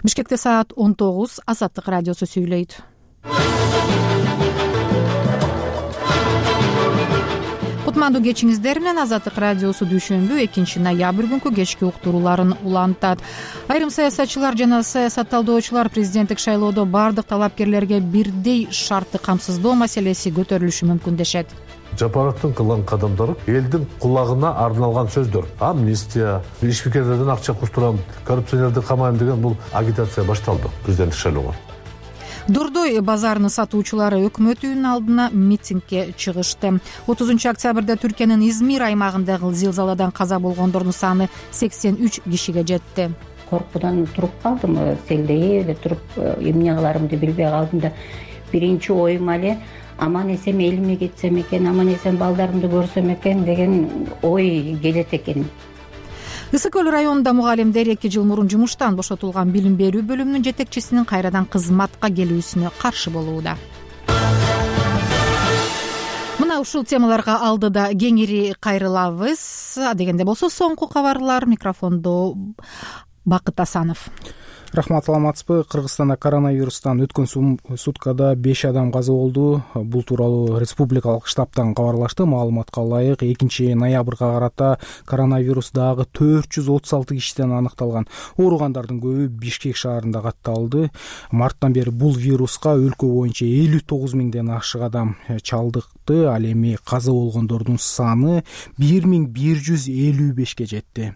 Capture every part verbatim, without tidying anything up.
Бишкекте саат он тогуз. Азаттык радиосу сүйлөйт. Кутмандуу кечиңиздер менен Азаттык радиосу дүйшөмбү экинчи ноябрь күнкү кечки уктурууларын улантат. Айрым саясатчылар жана саясатталдоочулар президенттик шайлоодо бардык талапкерлерге бирдей шартты камсыздоо маселеси көтөрүлүшү мүмкүн дешет. Жапаровдун кылган кадамдары элдин кулагына арналган сөздөр. Амнистия, ишмекерлерден акча куштурам, коррупционерди камайм деген бул агитация башталды президенттик шайлоого. Дордой базарынын сатуучулары өкмөт үйүнүн алдына митингге чыгышты. отузунчу октябрда Түркиянын Измир аймагындагы зилзаладан каза болгондордун саны сексен үч кишиге жетти. Коркуудан туруп калдым, селдей эле туруп эмне кыларымды билбей калдым да биринчи оюм эле аман эсен элиме кетсем экен, аман эсен балдарымды көрсөм экен деген ой келет экен. Ысык көл районунда мугалимдер эки жыл мурун жумуштан бошотулган билим берүү бөлүмүнүн жетекчисинин кайрадан кызматка келүүсүнө каршы болууда. Мына ушул темаларга алдыда кеңири кайрылабыз. Дегенде болсо соңку кабарлар. Микрофондо Бакыт Асанов. Рахмат, саламатсызбы? Кыргызстанда коронавирустан өткөн суткада беш адам каза болду. Бул тууралуу республикалык штабтан кабарлашты. Маалыматка ылайык экинчи ноябрга карата коронавирус дагы төрт жүз отуз алты кишиден аныкталган. Ооругандардын көбү Бишкек шаарында катталды. Марттан бери бул вируска өлкө боюнча элүү тогуз миңден ашык адам чалдыкты. Ал эми каза болгондордун саны бир миң бир жүз элүү бешке жетти.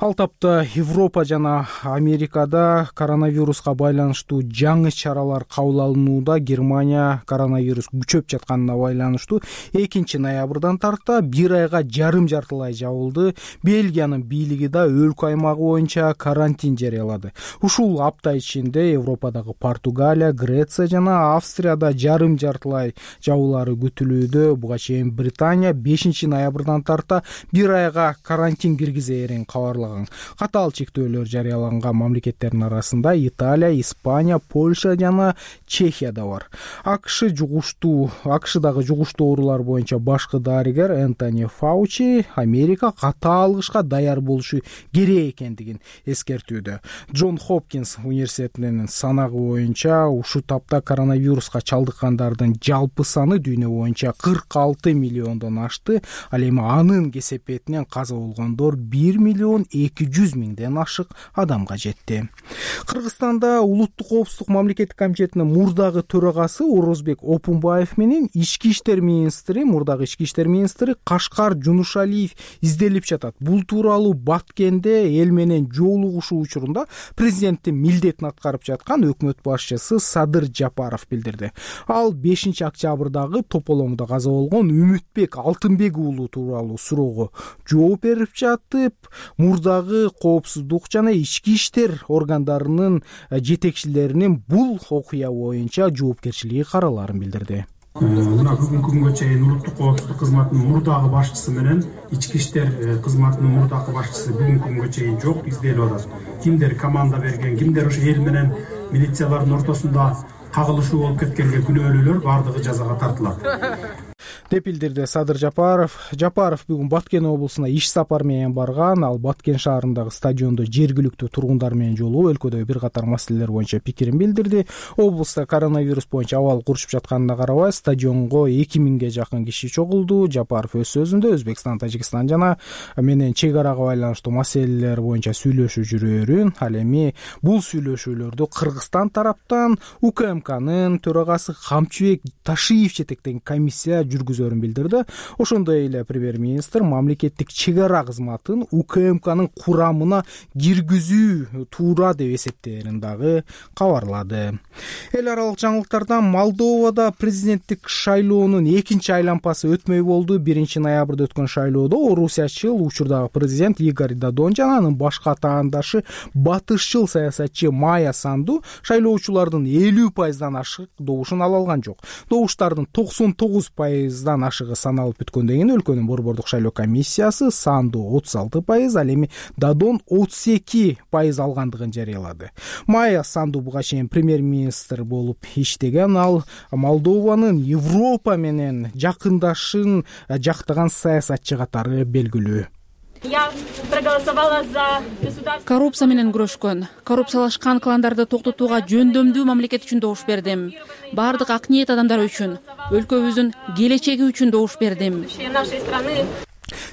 Ал тапта Европа жана Америкада коронавируска байланыштуу жаңы чаралар кабыл алынууда. Германия коронавирус күчөп жатканына байланыштуу экинчи ноябрдан тарта бир айга жарым жартылай жабылды. Бельгиянын бийлиги да өлкө аймагы боюнча карантин жарыялады. Ушул апта ичинде Европадагы Португалия, Греция жана Австрияда жарым жартылай жабуулары күтүлүүдө. Буга чейин Британия бешинчи ноябрдан тарта бир айга карантин киргизээрин кабарлаган. Катаал чектөөлөр жарыяланган мамлекеттердин арасында Италия, Испания, Польша жана Чехия да бар. АКШ жугуштуу АКШдагы жугуштуу оорулар боюнча башкы дарыгер Энтони Фаучи Америка ката алгышка даяр болушу керек экендигин эскертүүдө. Джон Хопкинс университетинин санагы боюнча ушул тапта коронавируска чалдыккандардын жалпы саны дүйнө боюнча кырк алты миллиондон ашты. Ал эми анын кесепетинен каза болгондор бир миллион эки жүз миңден ашык адамга жетти. Кыргызстанда улуттук коопсуздук мамлекеттик комитетинин мурдагы төрагасы Орозбек Опунбаев менен ички иштер министри, мурдагы ички иштер министри Кашкар Жунушалиев изделип жатат. Бул тууралуу Баткенде эл менен жолугушуу учурунда президенттин милдетин аткарып жаткан өкмөт башчысы Садыр Жапаров билдирди. Ал бешинчи октябрдагы тополоңдо каза болгон Үмүтбек Алтынбек уулу тууралуу суроого жооп берип жатып, мурдагы коопсуздук жана ички иштер органдарынын жетекчилеринин бул окуя боюнча жоопкерчилиги караларын билдирди. Мына бүгүнкү күнгө чейин улуттук коопсуздук кызматынын мурдагы башчысы менен ички иштер кызматынын мурдагы башчысы бүгүнкү күнгө чейин жок, изделип атат. Кимдер команда берген, кимдер ошо эл менен милициялардын ортосунда кагылышуу болуп кеткенге күнөөлүүлөр бардыгы жазага тартылат деп билдирди Садыр Жапаров. Жапаров бүгүн Баткен облусуна иш сапар менен барган. Ал Баткен шаарындагы стадиондо жергиликтүү тургундар менен жолугуп, өлкөдөгү бир катар маселелер боюнча пикирин билдирди. Облуста коронавирус боюнча абал курушуп жатканына карабай, стадионго эки миңге жакын киши чогулду. Жапаров өз сөзүндө Өзбекстан, Тажикстан жана менен чек арага байланыштуу маселелер боюнча сүйлөшүү жүрөөрүн, ал эми бул сүйлөшүүлөрдү Кыргызстан тараптан УКМКнын төрагасы Камчыбек Ташиев жетектеген комиссия жүргүзөрүн билдирди. Ошондой эле премьер-министр мамлекеттик чек ара кызматын УКМКнын курамына киргизүү туура деп эсептээрин дагы кабарлады. Эл аралык жаңылыктардан Молдовада президенттик шайлоонун экинчи айлампасы өтмөй болду. биринчи ноябрда өткөн шайлоодо орусиячыл учурдагы президент Игорь Додон жана анын башка атаандашы батышчыл саясатчы Майя Санду шайлоочулардын элүү пайыздан ашык добушун ала алган жок. Добуштардын токсон тогуз пайыздан ашыгы саналып бүткөндөн кийин өлкөнүн борбордук шайлоо комиссиясы Санду отуз алты пайыз, ал эми Додон отуз эки пайыз алгандыгын жарыялады. Майя Санду буга чейин премьер-министр болуп иштеген. Ал Молдованын Европа менен жакындашын жактаган саясатчы катары белгилүү. Я проголосовала за государство. Коррупция менен күрөшкөн, коррупциялашкан кландарды токтотууга жөндөмдүү мамлекет үчүн добуш бердим. Баардык ак ниет адамдар үчүн, өлкөбүздүн келечеги үчүн добуш бердим Нашей страны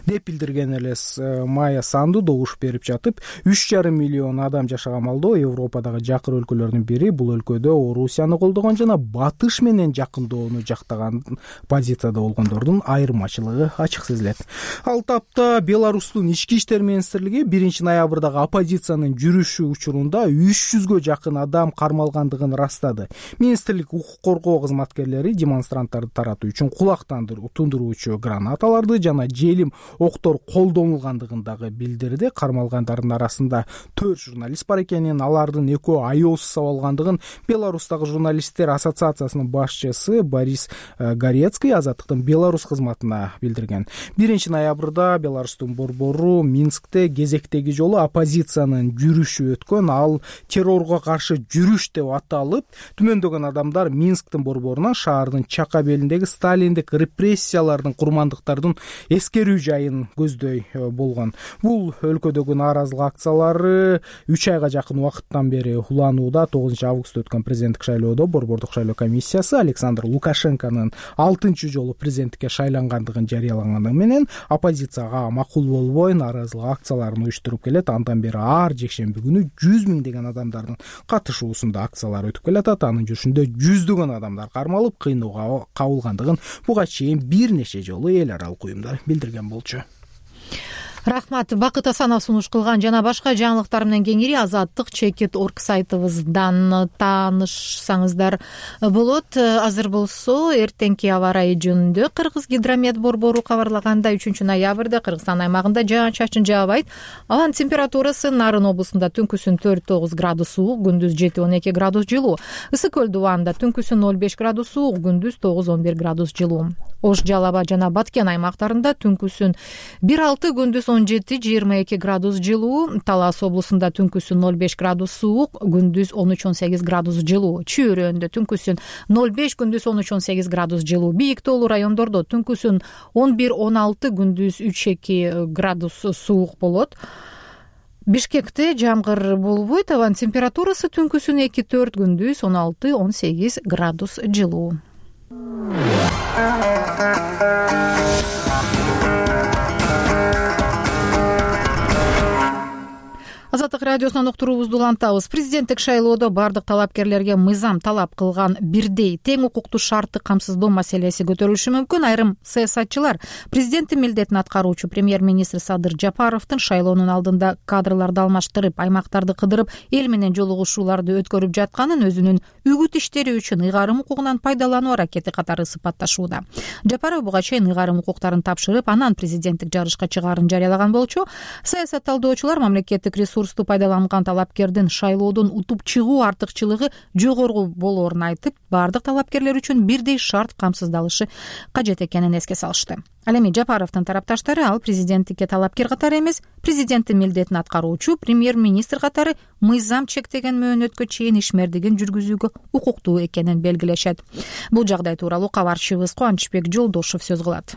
деп билдирген элес Майя Санду добуш берип жатып, үч жарым миллион адам жашаган малдоо Европадагы жакыр өлкөлөрдүн бири. Бул өлкөдө Орусияны колдогон жана батыш менен жакындоону жактаган позицияда болгондордун айырмачылыгы ачык сезилет. Ал тапта Беларустун ички иштер министрлиги биринчи ноябрдагы оппозициянын жүрүшү учурунда үч жүзгө жакын адам кармалгандыгын ырастады. Министрлик укук коргоо кызматкерлери демонстранттарды таратуу үчүн кулак тундуруучу гранаталарды жана желим октор колдонулгандыгын дагы билдирди. Кармалгандардын арасында төрт журналист бар экенин, алардын экөө аяосуз сабалгандыгын Беларустагы журналисттер ассоциациясынын башчысы Борис Горецкий Азаттыктын Беларусь кызматына билдирген. биринчи ноябрда Беларустун борбору Минскте кезектеги жолу оппозициянын жүрүшү өткөн. Ал террорго каршы жүрүш деп аталып, түмөндөгөн адамдар Минсктин борборунан шаардын чака белиндеги сталиндик репрессиялардын курмандыктардын эскерүү жайын көздөй болгон. Бул өлкөдөгү нааразылык акциялары үч айга жакын убакыттан бери уланууда. тогузунчу августта өткөн президенттик шайлоодо борбордук шайлоо комиссиясы Александр Лукашенконун алтынчы жолу президенттикке шайлангандыгын жарыялаганы менен оппозицияга макул болбой нааразылык акцияларын уюштуруп келет. Андан бери ар жекшемби күнү жүз миңдеген адамдардын катышуусунда акциялар өтүп келатат. Анын жүрүшүндө жүздөгөн адамдар кармалып, кыйноого кабылгандыгын буга чейин бир нече жолу эл аралык уюмдар билдирген болчу. Рахмат. Бакыт Асанов сунуш кылган жана башка жаңылыктар менен кеңири Азаттык чекит орг сайтыбыздан таанышсаңыздар болот. Азыр болсо эртеңки аба ырайы жөнүндө Кыргыз гидромет борбору кабарлагандай үчүнчү ноябрда Кыргызстан аймагында жаан-чачын жаабайт. Анын температурасы Нарын облусунда түнкүсүн төрт тогуз градус суук, күндүз жети он эки градус жылуу. Ысык көл дубанында түнкүсүн ноль беш градус суук, күндүз тогуз он бир градус жылуу. Ош, Жалал Абад жана Баткен аймактарында түнкүсүн бир алты, күндүз он жети жыйырма эки градус жылуу. Талас облусунда түнкүсүн ноль беш градус суук, күндүз он үч он сегиз градус жылуу. Чүй районунда түнкүсүн ноль беш, күндүз он үч он сегиз градус жылуу. Бийик тоолуу райондордо түнкүсүн он бир он алты, күндүз үч эки градус суук болот. Бишкекте жамгыр болбойт. Абанын температурасы түнкүсүн эки төрт, күндүз он алты он сегиз градус жылуу. Азаттык радиосунан уктуруубузду улантабыз. Президенттик шайлоодо бардык талапкерлерге мыйзам талап кылган бирдей тең укуктуу шартты камсыздоо маселеси көтөрүлүшү мүмкүн. Айрым саясатчылар президенттин милдетин аткаруучу премьер-министр Садыр Жапаровдун шайлоонун алдында кадрларды алмаштырып, аймактарды кыдырып, эл менен жолугушууларды өткөрүп жатканын өзүнүн үгүт иштери үчүн ыйгарым укугунан пайдалануу аракети катары сыпатташууда. Жапаров буга чейин ыйгарым укуктарын тапшырып, анан президенттик жарышка чыгаарын жарыялаган болчу. Саясат талдоочулар мамлекеттик ресурс пайдаланган талапкердин шайлоодон утуп чыгуу артыкчылыгы жогору болоорун айтып, бардык талапкерлер үчүн бирдей шарт камсыздалышы кажет экенин эске салышты. Ал эми Жапаровдун тарапташтары ал президенттикке талапкер катары эмес, президенттин милдетин аткаруучу премьер-министр катары мыйзам чектеген мөөнөткө чейин ишмердигин жүргүзүүгө укуктуу экенин белгилешет. Бул жагдай тууралуу кабарчыбыз Кубанычбек Жолдошов сөз кылат.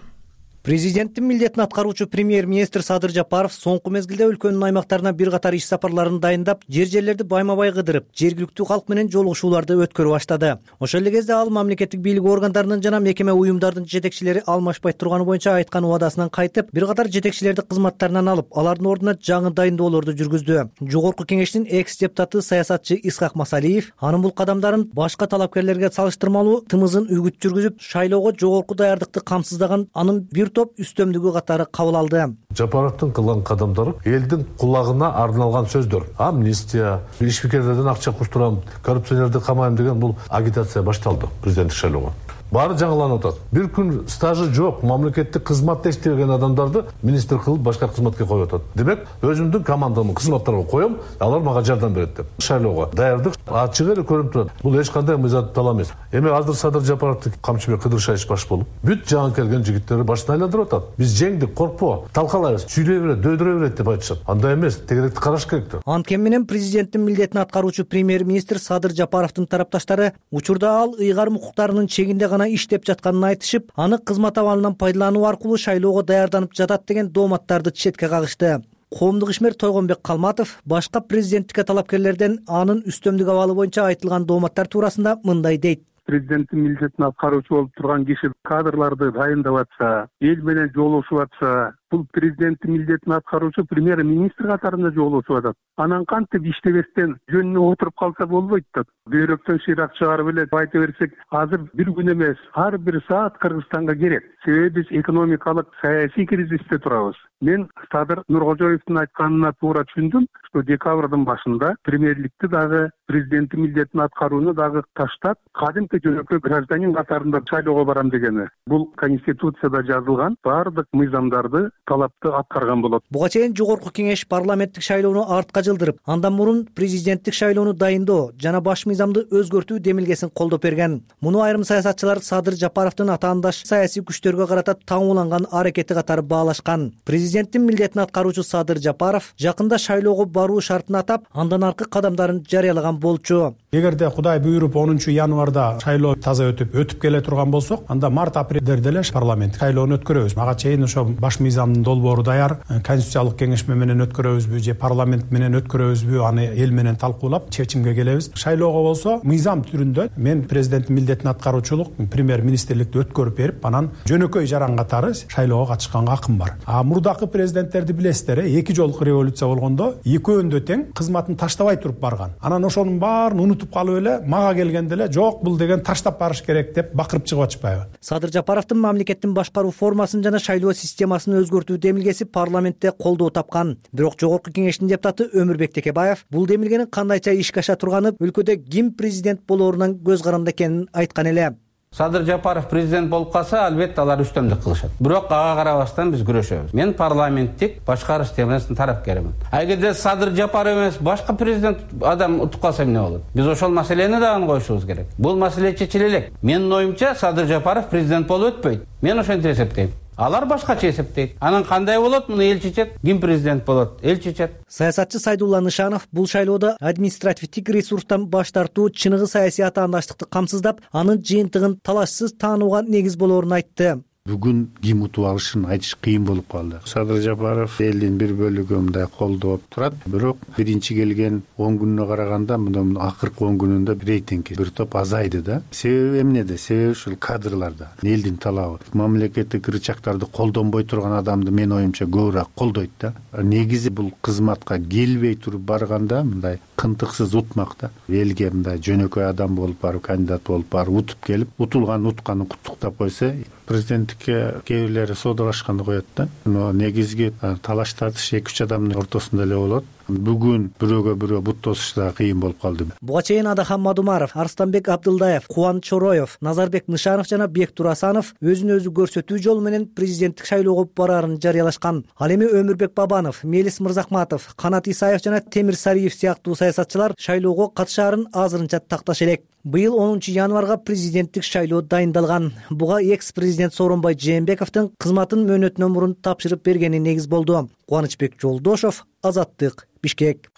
Президенттин милдетин аткаруучу премьер-министр Садыр Жапаров соңку мезгилде өлкөнүн аймактарына бир катар иш сапарларын дайындап, жер-жерлерди байма-бай кыдырып, жергиликтүү калк менен жолугушууларды өткөрүп баштады. Ошол эле кезде ал мамлекеттик бийлик органдарынын жана мекеме уюмдардын жетекчилери алмашпай турганы боюнча айткан убадасынан кайтып, бир катар жетекчилерди кызматтарынан алып, алардын ордуна жаңы дайындоолорду жүргүздү. Жогорку кеңештин экс-депутаты саясатчы Исхак Масалиев анын бул кадамдарын башка талапкерлерге салыштырмалуу тымызын үгүт жүргүзүп, шайлоого жогорку даярдыкты камсыздаган анын бир топ үстөмдүгү катары кабыл алды. Жапаровдун кылган кадамдары элдин кулагына арналган сөздөр. Амнистия, ишмердиктерден акча кустурам, коррупционерди камайм деген бул агитация башталды президенттик шайлоого. Баары жаңыланып атат. Бир күн стажы жок, мамлекеттик кызматта иштеген адамдарды министр кылып башка кызматка коюп атат. Демек, өзүмдүн командамды кызматтарга коем, алар мага жардам берет деп. Шайлоого даярдык ачык эле көрүнүп турат. Бул эч кандай мыйзам талап эмес. Эми азыр Садыр Жапаровду Камчыбек Кыдыршаевич баш болуп, бүт жаңы келген жигиттери башын айландырып атат. Биз жеңдик, коркпо, талкалайбыз, сүйлөй берет, дөйдүрө берет деп айтышат. Андай эмес, тегеректи караш керек да. Анткени менен президенттин милдетин аткаруучу премьер-министр Садыр Жапаровдун тарапташтары учурда ал ыйгарым укуктарынын чегинде гана жана иштеп жатканын айтышып, аны кызмат абалынан пайдалануу аркылуу шайлоого даярданып жатат деген дооматтарды четке кагышты. Коомдук ишмер Тойгонбек Калматов башка президенттикке талапкерлерден анын үстөмдүк абалы боюнча айтылган дооматтар туурасында мындай дейт. Президенттин милдетин аткаруучу болуп турган киши кадрларды дайындап атса, эл менен жолугушуп атса, бул президенттин милдетин аткаруучу премьер-министр катарында жолугушуп атат. Анан кантип иштебестен жөнүнө отуруп калса болбойт да. Бөйрөктөн шыйрак чыгарып эле айта берсек, азыр бир күн эмес, ар бир саат Кыргызстанга керек. Себеби биз экономикалык, саясий кризисте турабыз. Мен Садыр Нуркожоевдун айтканына туура түшүндүм, что декабрдын башында премьерликти дагы президенттин милдетин аткарууну дагы таштап, кадимки жөнөкөй гражданин катарында шайлоого барам дегени. Бул конституцияда жазылган баардык мыйзамдарды, талапты аткарган болот. Буга чейин жогорку кеңеш парламенттик шайлоону артка жылдырып, андан мурун президенттик шайлоону дайындоо жана баш мыйзамды өзгөртүү демилгесин колдоп берген. Муну айрым саясатчылар Садыр Жапаровдун атаандаш саясий күчтөргө карата таңууланган аракети катары баалашкан. Президенттин милдетин аткаруучу Садыр Жапаров жакында шайлоого баруу шартын атап, андан аркы кадамдарын жарыялаган болчу. Эгерде Кудай буйруп онунчу январда шайлоо таза өтүп өтүп келе турган болсок, анда март апрелде деле парламент шайлоону өткөрөбүз. Ага чейин ошо баш мыйзамдын долбоору даяр, конституциялык кеңешме менен өткөрөбүзбү же парламент менен өткөрөбүзбү, аны эл менен талкуулап чечимге келебиз. Шайлоого болсо мыйзам түрүндө мен президенттин милдетин аткаруучулук премьер-министрликти өткөрүп берип, анан жөнөкөй жаран катары шайлоого катышканга акым бар. А мурдакы президенттерди билесиздер, эки жолку революция болгондо экөөндө тең кызматын таштабай туруп барган. Анан ошонун баарын унутуп калып эле мага келгенде эле жок бул деген таштап барыш керек деп бакырып чыгып атышпайбы. Садыр Жапаровдун мамлекеттин башкаруу формасын жана шайлоо системасын өзгөртүү демилгеси парламентте колдоо тапкан. Бирок жогорку кеңештин депутаты Өмүрбек Текебаев бул демилгенин кандайча ишке аша турганы, өлкөдө ким президент болоорунан көз каранды экенин айткан эле. Садыр Жапаров президент болуп калса, албетте алар үстөмдүк кылышат. Бирок ага карабастан биз күрөшөбүз. Мен парламенттик башкаруу системасынын тарапкерімин. Эгерде Садыр Жапаров эмес, башка президент адам утуп калса эмне болот? Биз ошол маселени дагы коюшубуз керек. Бул маселе чечиле элек. Менин оюмча Садыр Жапаров президент болуп өтпөйт. Мен ошентип эсептейм. Алар башкача эсептейт. Анан кандай болот? Муну эл чечет. Ким президент болот? Эл чечет. Саясатчы Сайдулла Нышанов бул шайлоодо административдик ресурстан баш тартуу чыныгы саясий атаандаштыкты камсыздап, анын жыйынтыгын талашсыз таанууга негиз болоорун айтты. Бүгүн ким утуп алышын айтыш кыйын болуп калды. Садыр Жапаров элдин бир бөлүгү мындай колдоп турат, бирок биринчи келген он күнүнө караганда мына акыркы он күнүндө рейтинги бир топ азайды да. Себеби эмнеде? Себеби ушул кадрларда. Элдин талабы. Мамлекеттик рычагдарды колдонбой турган адамды мен оюмча көбүрөөк колдойт да. Негизи бул кызматка келбей туруп барганда мындай кынтыксыз утмак да. Элге мындай жөнөкөй адам болуп барып, кандидат болуп барып утуп келип, утулган утканын куттуктап койсо, президенттикке кээ бирлери соодалашканды коет да. Но негизги талаш тартыш эки үч адамдын ортосунда эле болот. Бүгүн бирөөгө бирөө бут тосуш да кыйын болуп калды. Буга чейин Адахан Мадумаров, Арстанбек Абдылдаев, Кубан Чороев, Назарбек Нышанов жана Бектур Асанов өзүн өзү көрсөтүү жолу менен президенттик шайлоого бараарын жарыялашкан. Ал эми Өмүрбек Бабанов, Мелис Мырзахматов, Канат Исаев жана Темир Сариев сыяктуу саясатчылар шайлоого катышаарын азырынча такташ элек. Быйыл онунчу январга президенттик шайлоо дайындалган. Буга экс-президент Сооронбай Жээнбековдун кызматын мөөнөтүнөн мурун тапшырып бергени негиз болду. Кубанычбек Жолдошов, Азаттык, Бишкек.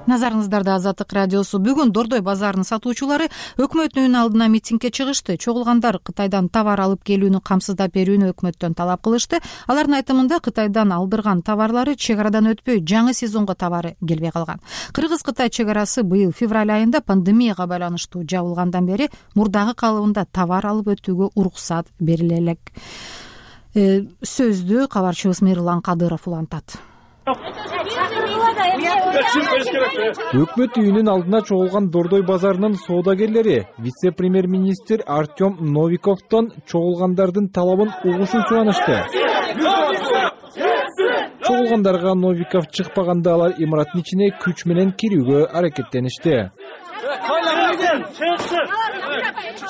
Назарыңыздарда Азаттык радиосу. Бүгүн Дордой базарынын сатуучулары өкмөттүн алдына митингге чыгышты. Чогулгандар Кытайдан товар алып келүүнү камсыздап берүүнү өкмөттөн талап кылышты. Алардын айтымында Кытайдан алдырган товарлары чек арадан өтпөй, жаңы сезонго товары келбей калган. Кыргыз-Кытай чек арасы быйыл февраль айында пандемияга байланыштуу жабылгандан бери мурдагы калыбында товар алып өтүүгө уруксат бериле элек. Э, сөздү кабарчыбыз Мейрулан Кадыров улантат. Өкмөт үйүнүн алдына чогулган Дордой базарынын соодагерлери вице-премьер-министр Артем Новиковдон чогулгандардын талабын угушун суранышты. Чогулгандарга Новиков чыкпаганда алар имараттын ичине күч менен кирүүгө аракеттеништи.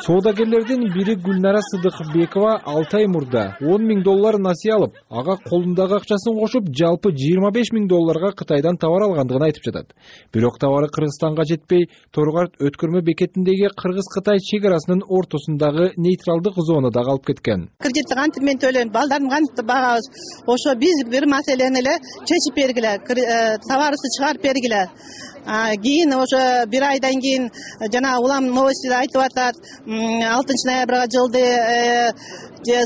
Соодагерлердин бири Гүлнара Сыдыкбекова алты ай мурда он миң доллар насыя алып, ага колундагы акчасын кошуп, жалпы жыйырма беш миң долларга Кытайдан товар алгандыгын айтып жатат. Бирок товары Кыргызстанга жетпей, Торгарт өткөрмө бекетиндеги Кыргыз-Кытай чек арасынын ортосундагы нейтралдык зонада калып кеткен. Кредитти кантип мен төлөйм, балдардын кантип багабыз? Ошо биз бир маселени эле чечип бергиле, товарыбызды чыгарып бергиле. Кийин ошо бир айдан кийин жана улам новостиде айтып атат, алтынчы ноябрга жылды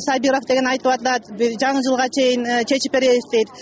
Сабиров деген айтып атат, жаңы жылга чейин чечип беребиз дейт.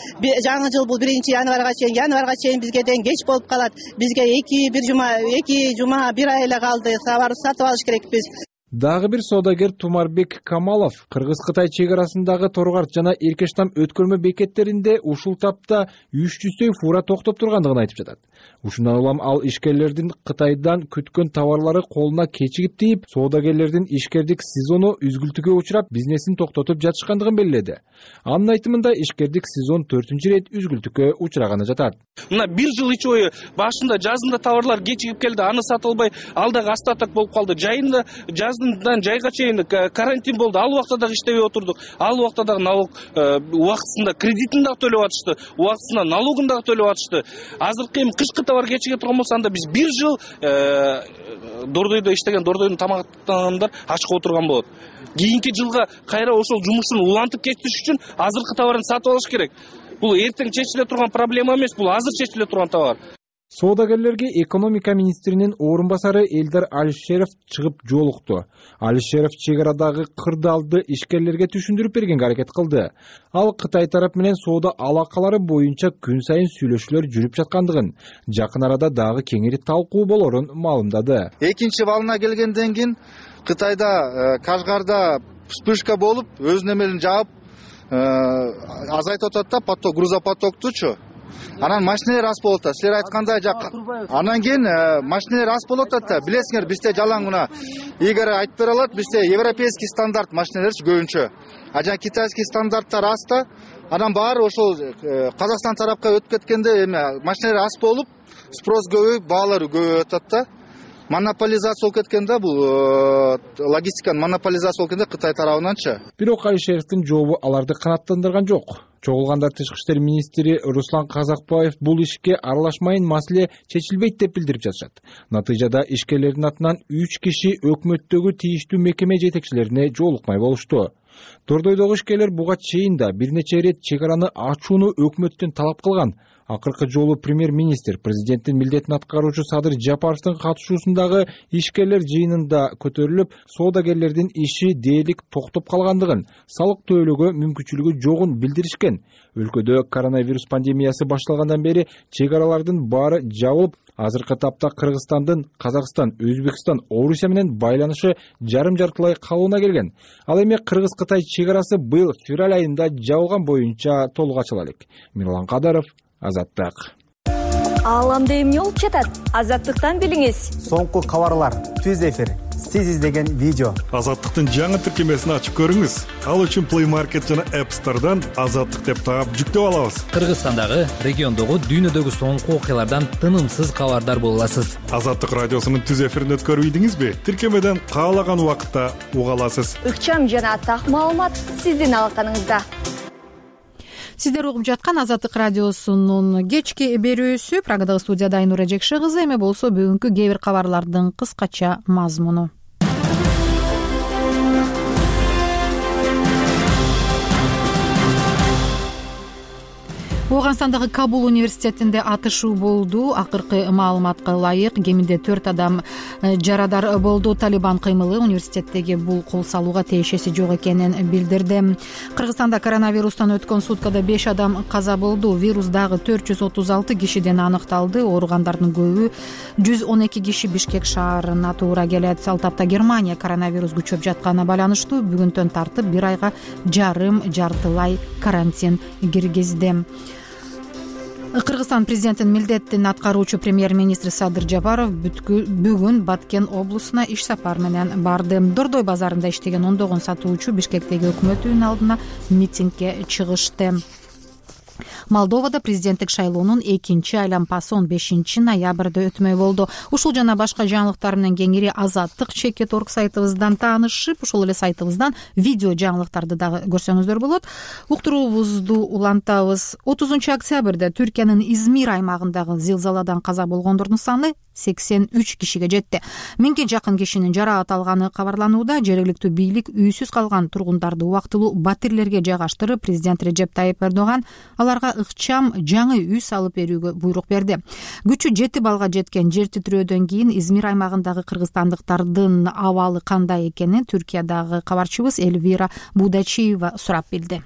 Жаңы жыл бул биринчи январга чейин, январга чейин бизге деген кеч болуп калат. Бизге эки бир жума, эки жума, бир ай эле калды. Товарды сатып алыш керекпиз. Дагы бир соодагер Тумарбек Камалов Кыргыз-Кытай чек арасындагы Торгарт жана Эркештам өткөрмө бекеттеринде ушул тапта үч жүздөй фура токтоп тургандыгын айтып жатат. Ушундан улам ал ишкерлердин Кытайдан күткөн товарлары колуна кечигип тийип, соодагерлердин ишкердик сезону үзгүлтүүгө учурап, бизнесин токтотуп жатышкандыгын белгиледи. Анын айтымында ишкердик сезон төртүнчү ирет үзгүлтүүгө учураганы жатат. Мына бир жыл ичи бою башында жазында товарлар кечигип келди, аны сатып албай, алдагы остаток болуп калды. Жайында жаздан жайга чейин карантин болду. Ал убакта дагы иштебей отурдук. Ал убакта дагы налог убактысында кредитин дагы төлөп атышты, убактысында налогун дагы төлөп атышты. Азыркы эми кышкы товар кечиге турган болсо, анда биз бир жыл Дордойдо иштеген, Дордойдун тамактангандар ачка отурган болот. Кийинки жылга кайра ошол жумушун улантып кетиш үчүн азыркы товарын сатып алыш керек. Бул эртең чечиле турган проблема эмес, бул азыр чечиле турган товар. Соодагерлерге экономика министринин орун басары Элдар Алишеров чыгып жолукту. Алишеров чек арадагы кырдаалды ишкерлерге түшүндүрүп бергенге аракет кылды. Ал Кытай тарап менен соода алакалары боюнча күн сайын сүйлөшүүлөр жүрүп жаткандыгын, жакын арада дагы кеңири талкуу болорун маалымдады. Экинчи балына келгенден кийин Кытайда Кашгарда вспышка болуп, өз немелин жаап азайтып атат да, поток, грузопотоктучу. Анан машиналар аз болот да. Силер айткандай жак. Анан кийин машиналар аз болот да. Билесиңер, бизде жалаң мына Игорь айтып бере алат, бизде европейский стандарт машиналарчы көбүнчө. А жана китайский стандарттар аз да. Анан баары ошол Казакстан тарапка өтүп кеткенде эме машиналар аз болуп, спрос көбөйүп, баалары көбөйүп атат да. Монополизация болуп кеткенде, бул логистиканын монополизация болуп кеткенде Кытай тарабынанчы. Бирок Алишеровдун жообу аларды канааттандырган жок. Чогулганда тышкы иштер министри Руслан Казакбаев бул ишке аралашмайын, маселе чечилбейт деп билдирип жатышат. Натыйжада ишкерлердин атынан үч киши өкмөттөгү тийиштүү мекеме жетекчилерине жолукмай болушту. Дордойдогу ишкерлер буга чейин да бир нече ирет чек араны ачууну өкмөттөн талап кылган. Акыркы жолу премьер-министр президенттин милдетин аткаруучу Садыр Жапаровдун катышуусундагы ишкерлер жыйынында көтөрүлүп, соодагерлердин иши дээрлик токтоп калгандыгын, салык төлөөгө мүмкүнчүлүгү жогун билдиришкен. Өлкөдө коронавирус пандемиясы башталгандан бери чек аралардын баары жабылып, азыркы тапта Кыргызстандын Казакстан, Өзбекстан, Орусия менен байланышы жарым-жартылай калууна келген. Ал эми Кыргыз-Кытай чек арасы быйыл февраль айында жабылган боюнча толук ачыла элек. Мирлан Кадаров, Азаттык. Ааламда эмне болуп жатат? Азаттыктан билиңиз. Соңку кабарлар, түз эфир, сиз издеген видео. Азаттыктын жаңы тиркемесин ачып көрүңүз. Ал үчүн Play Market жана App Store'дан Азаттык деп таап жүктөп алабыз. Кыргызстандагы, региондогу, дүйнөдөгү соңку окуялардан тынымсыз кабардар боло аласыз. Азаттык радиосунун түз эфирин өткөрүп ийдиңизби? Тиркемеден каалаган убакытта уга аласыз. Ыкчам жана так маалымат сиздин алаканыңызда. Сиздер угуп жаткан Азаттык радиосунун кечки берүүсү. Прагадагы студияда Айнура Жекши кызы. Эми болсо бүгүнкү кээ бир кабарлардын кыскача мазмуну. Ооганстандагы Кабул университетинде атышуу болду. Акыркы маалыматка ылайык кеминде төрт адам жарадар болду. Талибан кыймылы университеттеги бул кол салууга тиешеси жок экенин билдирди. Кыргызстанда коронавирустан өткөн суткада беш адам каза болду. Вирус дагы төрт жүз отуз алты кишиден аныкталды. Ооругандардын көбү жүз он эки киши Бишкек шаарына туура келет. Ал тапта Германия коронавирус күчөп жатканына байланыштуу бүгүнтөн тартып бир айга жарым жартылай карантин киргизди. Кыргызстан президентинин милдетин аткаруучу премьер-министри Садыр Жапаров бүгүн Баткен облусуна иш сапар менен барды. Дордой базарында иштеген ондогон сатуучу Бишкектеги өкмөт үйүнүн алдына митингге чыгышты. Молдовада президенттик шайлоонун экинчи айлампасы он бешинчи ноябрда өтмөй болду. Ушул жана башка жаңылыктар менен кеңири азаттык чекит орг сайтыбыздан таанышып, ошол эле сайтыбыздан видео жаңылыктарды дагы көрсөңүздөр болот. Уктуруубузду улантабыз. отузунчу октябрда Түркиянын Измир аймагындагы зилзаладан каза болгондордун саны сексен үч кишиге жетти. Миңге жакын кишинин жараат алганы кабарланууда. Жергиликтүү бийлик үйсүз калган тургундарды убактылуу батирлерге жайгаштырып, президент Режеп Тайип Эрдоган аларга ыкчам жаңы үй салып берүүгө буйрук берди. Күчү жети балга жеткен жер титирөөдөн кийин Измир аймагындагы кыргызстандыктардын абалы кандай экенин Түркиядагы кабарчыбыз Эльвира Будачиева сурап билди.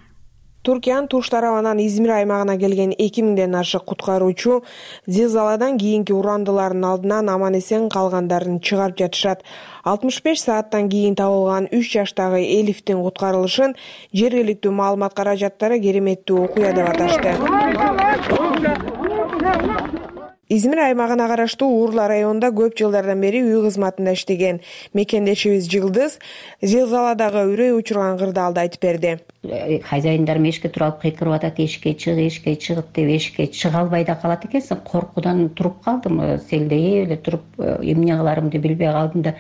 Түркиянын туш тарабынан Измир аймагына келген эки миңден ашык куткаруучу зилзаладан кийинки урандылардын алдынан аман эсен калгандарын чыгарып жатышат. алтымыш беш сааттан кийин табылган үч жаштагы Элифтин куткарылышын жергиликтүү маалымат каражаттары кереметтүү окуя деп аташты. Измир аймагына караштуу Урла районунда көп жылдардан бери үй кызматында иштеген мекендешибиз Жылдыз зилзаладагы үрөй учурган кырдаалды айтып берди. Хозяиндарым эшикке туруп алып кыйкырып атат, эшикке чыг, эшикке чыгып деп эшикке чыга албай да калат экенсиң. Коркуудан туруп калдым, селдей эле туруп эмне кыларымды билбей калдым да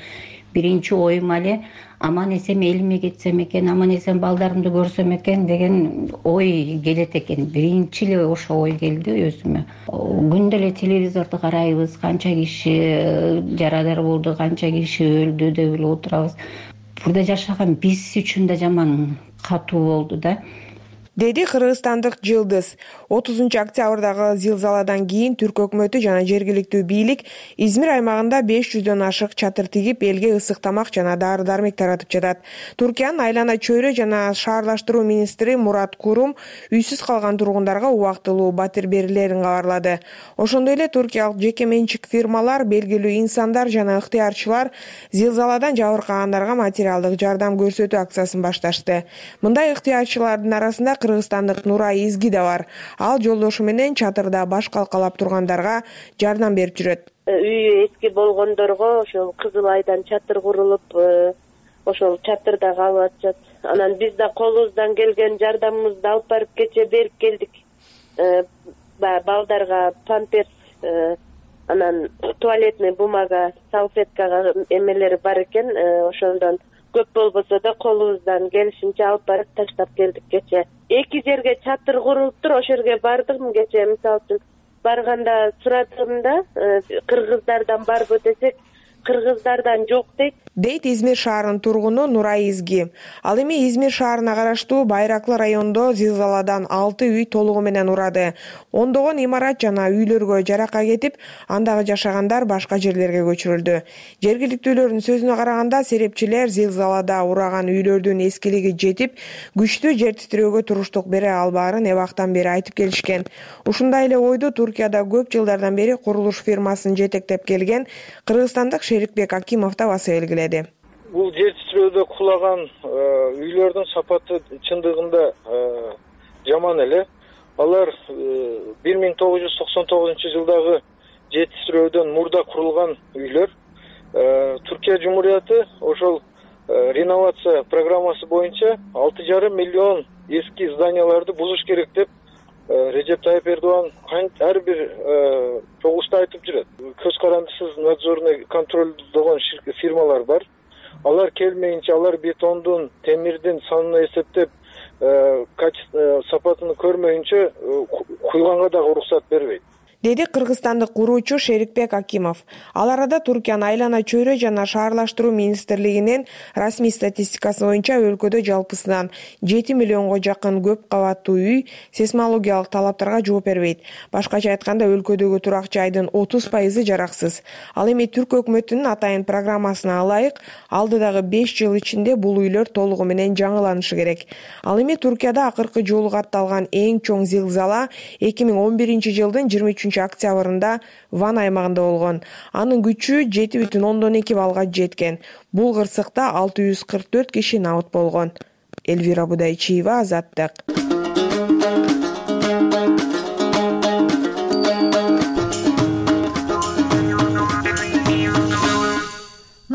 биринчи оюм эле аман эсен элиме кетсем экен, аман эсен балдарымды көрсөм экен деген ой келет экен. Биринчи эле ошо ой келди өзүмө. Күндө эле телевизорду карайбыз, канча киши жарадар болду, канча киши өлдү деп эле отурабыз. Бурда жашаган биз үчүн да жаман катуу болду да. Деди кыргызстандык Жылдыз. отузунчу октябрдагы зилзаладан кийин Түрк өкмөтү жана жергиликтүү бийлик Измир аймагында беш жүздөн ашык чатыр тигип, элге ысык тамак жана дары-дармек таратып жатат. Түркиянын айлана чөйрө жана шаарлаштыруу министри Мурат Курум үйсүз калган тургундарга убактылуу батир берилерин кабарлады. Ошондой эле туркиялык жеке менчик фирмалар, белгилүү инсандар жана ыктыярчылар зилзаладан жабыркагандарга материалдык жардам көрсөтүү акциясын башташты. Мындай ыктыярчылардын арасында кыргызстандык Нурай Изги да бар. Ал жолдошу менен чатырда баш калкалап тургандарга жардам берип жүрөт. Үйү эски болгондорго ошол Кызыл Айдан чатыр курулуп, ошол чатырда калып атышат. Анан биз да колубуздан келген жардамыбызды алып барып кече берип келдик. Балдарга памперс, анан туалетный бумага, салфеткага эмелери бар экен, ошондон көп болбосо да колубуздан келишинче алып барып таштап келдик кече. Эки жерге чатыр курулуптур, ошол жерге бардым кече. Мисалы үчүн барганда сурадымда кыргыздардан барбы десек, кыргыздардан жок дейт. Дейт Измир шаарынын тургуну Нурай Изги. Ал эми Измир шаарына караштуу Байраклы районунда зилзаладан алты үй толугу менен урады. Ондогон имарат жана үйлөргө жарака кетип, андагы жашагандар башка жерлерге көчүрүлдү. Жергиликтүүлөрдүн сөзүнө караганда, серепчилер зилзалада ураган үйлөрдүн эскилиги жетип, күчтүү жер титирөөгө туруштук бере албаарын эбактан бери айтып келишкен. Ушундай эле ойду Туркияда көп жылдардан бери курулуш фирмасын жетектеп келген кыргызстандык Шерикбек Акимов да баса белгиледи. Бул жер титирөөдө кулаган үйлөрдүн сапаты чындыгында жаман эле. Алар бир миң тогуз жүз токсон тогузунчу жылдагы жер титирөөдөн мурда курулган үйлөр. Түркия Жумурияты ошол реновация программасы боюнча алты жарым миллион эски зданияларды бузуш керек деп Режеп Тайип Эрдоган ар бир чогулушта айтып жүрөт. Көз карандысыз надзорный контролдогон фирмалар бар. Алар келмейинче, алар бетондун, темирдин санын эсептеп, качество сапатын көрмөйүнчө куйганга дагы уруксат бербейт. Деди кыргызстандык куруучу Шерикбек Акимов. Ал арада Туркиянын айлана чөйрө жана шаарлаштыруу министрлигинин расмий статистикасы боюнча өлкөдө жалпысынан жети миллионго жакын көп кабаттуу үй сейсмологиялык талаптарга жооп бербейт. Башкача айтканда, өлкөдөгү турак жайдын отуз пайызы жараксыз. Ал эми Түрк өкмөтүнүн атайын программасына ылайык алдыдагы беш жыл ичинде бул үйлөр толугу менен жаңыланышы керек. Ал эми Туркияда акыркы жолу катталган эң чоң зилзала эки миң он биринчи жылдын жыйырма үчүнчү октябрында Ван аймагында болгон. Анын күчү жети бүтүн ондон эки балга жеткен. Бул кырсыкта алты жүз кырк төрт киши набыт болгон. Эльвира Будайчиева, Азаттык.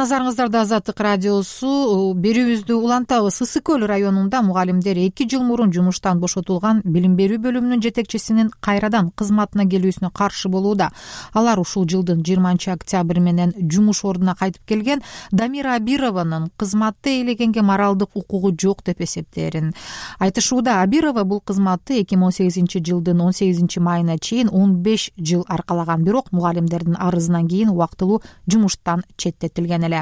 назарыңыздарда Азаттык радиосу. Берүүбүздү улантабыз. Ысык көл районунда мугалимдер эки жыл мурун жумуштан бошотулган билим берүү бөлүмүнүн жетекчисинин кайрадан кызматына келүүсүнө каршы болууда. Алар ушул жылдын жыйырманчы октябрь менен жумуш ордуна кайтып келген Дамира Абированын кызматты ээлегенге моралдык укугу жок деп эсептээрин айтышууда. Абирова бул кызматты эки миң он сегизинчи жылдын он сегизинчи майына чейин он беш жыл аркалаган, бирок мугалимдердин арызынан кийин убактылуу жумуштан четтетилген эле.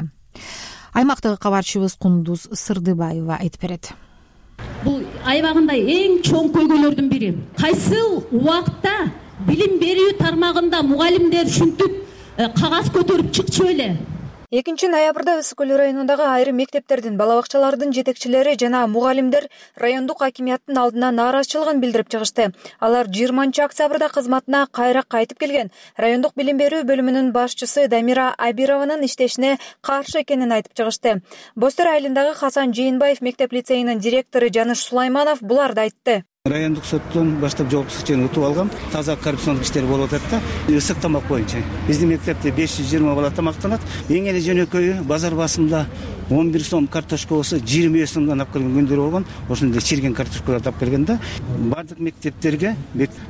Аймактагы кабарчыбыз Кундуз Сырдыбаева айтып берет. Бул аябагында эң чоң көйгөйлөрдүн бири. Кайсыл убакта билим берүү тармагында мугалимдер ушинтип кагаз көтөрүп чыкчу эле? экинчи ноябрда Ысык көл районундагы айрым мектептердин, бала бакчалардын жетекчилери жана мугалимдер райондук акимияттын алдына нааразычылыгын билдирип чыгышты. Алар жыйырманчы октябрда кызматына кайра кайтып келген райондук билим берүү бөлүмүнүн башчысы Дамира Абированын иштешине каршы экенин айтып чыгышты. Бостер айылындагы Хасан Жээнбаев мектеп лицейинин директору Жаныш Сулайманов буларды айтты. Райондук соттон баштап жоопкерчиликти утуп алгам. Таза коррупциондук иштер болуп атат да. Ысык тамак боюнча биздин мектепте беш жүз жыйырма бала тамактанат. Эң эле жөнөкөйү базар басымда он бир сом картошка болсо жыйырма беш сомдон алып келген күндөр болгон. Ошондой чирген картошкаларды алып келген да. Бардык мектептерге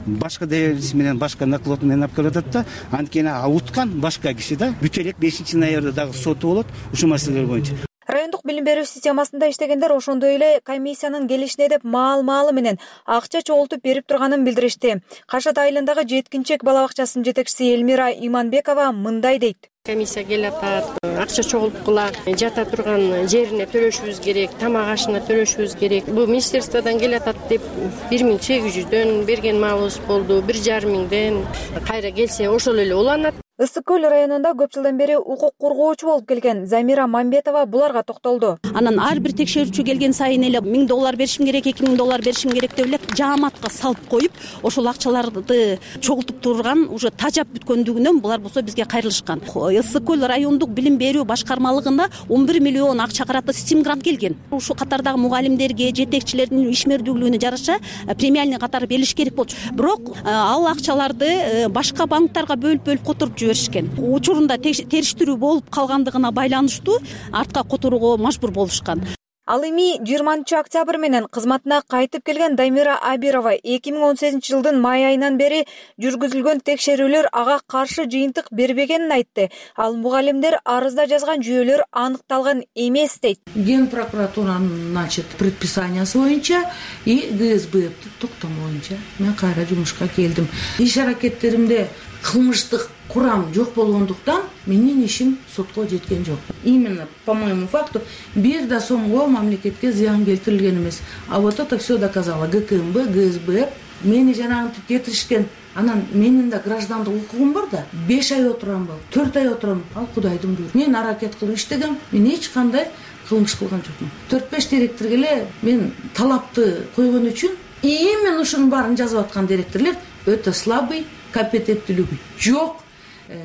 башка доверенность менен, башка наклад менен алып келип атат да. Анткени уткан башка киши да. Бүт элек бешинчи ноябрда дагы соту болот ушул маселелер боюнча. Райондук билим берүү системасында иштегендер ошондой эле комиссиянын келишине деп маал-маалы менен акча чогултуп берип турганын билдиришти. Кашат айылындагы жеткинчек бала бакчасынын жетекчиси Элмира Иманбекова мындай дейт. Комиссия келип атат, акча чогулткула, жата турган жерине төлөшүбүз керек, тамак ашына төлөшүбүз керек. Бул министерстводон келип атат деп бир миң сегиз жүздөн берген маалыбыз болду, бир жарым миңден. Кайра келсе ошол эле уланат. Ысык көл районунда көп жылдан бери укук коргоочу болуп келген Замира Мамбетова буларга токтолду. Анан ар бир текшерүүчү келген сайын эле миң доллар беришим керек, эки миң доллар беришим керек деп эле жааматка салып коюп, ошол акчаларды чогултуп турган, уже тажап бүткөндүгүнөн булар болсо бизге кайрылышкан. Ысык көл райондук билим берүү башкармалыгына он бир миллион акча карата стим грант келген. Ушул катардагы мугалимдерге, жетекчилердин ишмердүүлүгүнө жараша премиальный катары берилиш керек болчу. Бирок ал акчаларды башка банктарга бөлүп-бөлүп которуп жиберишкен. Учурунда териштирүү болуп калгандыгына байланыштуу артка которууга мажбур болушкан. Ал эми жыйырманчы октябрь менен кызматына кайтып келген Дамира Абирова эки миң он сегизинчи жылдын май айынан бери жүргүзүлгөн текшерүүлөр ага каршы жыйынтык бербегенин айтты. Ал мугалимдер арызда жазган жүйөлөр аныкталган эмес дейт. Ген прокуратуранын значит предписаниясы боюнча и ГСБ токтому боюнча мен кайра жумушка келдим. Иш аракеттеримде кылмыштык курам жок болгондуктан менин ишим сотко жеткен жок. Именно по моему факту бир да сомго мамлекетке зыян келтирилген эмес. А вот это все доказало ГКМБ, ГСБ. Мени жанагынтип кетиришкен. Анан менин да граждандык укугум бар да. беш ай отурамбы, төрт ай отурам. Ал Кудайдын буйругу. Мен аракет кылып иштегем. Мен эч кандай кылмыш кылган жокмун. төрт беш директорго эле мен талапты койгон үчүн именно ушунун баарын жазып аткан директорлор өтө слабый, компетенттүүлүгү жок.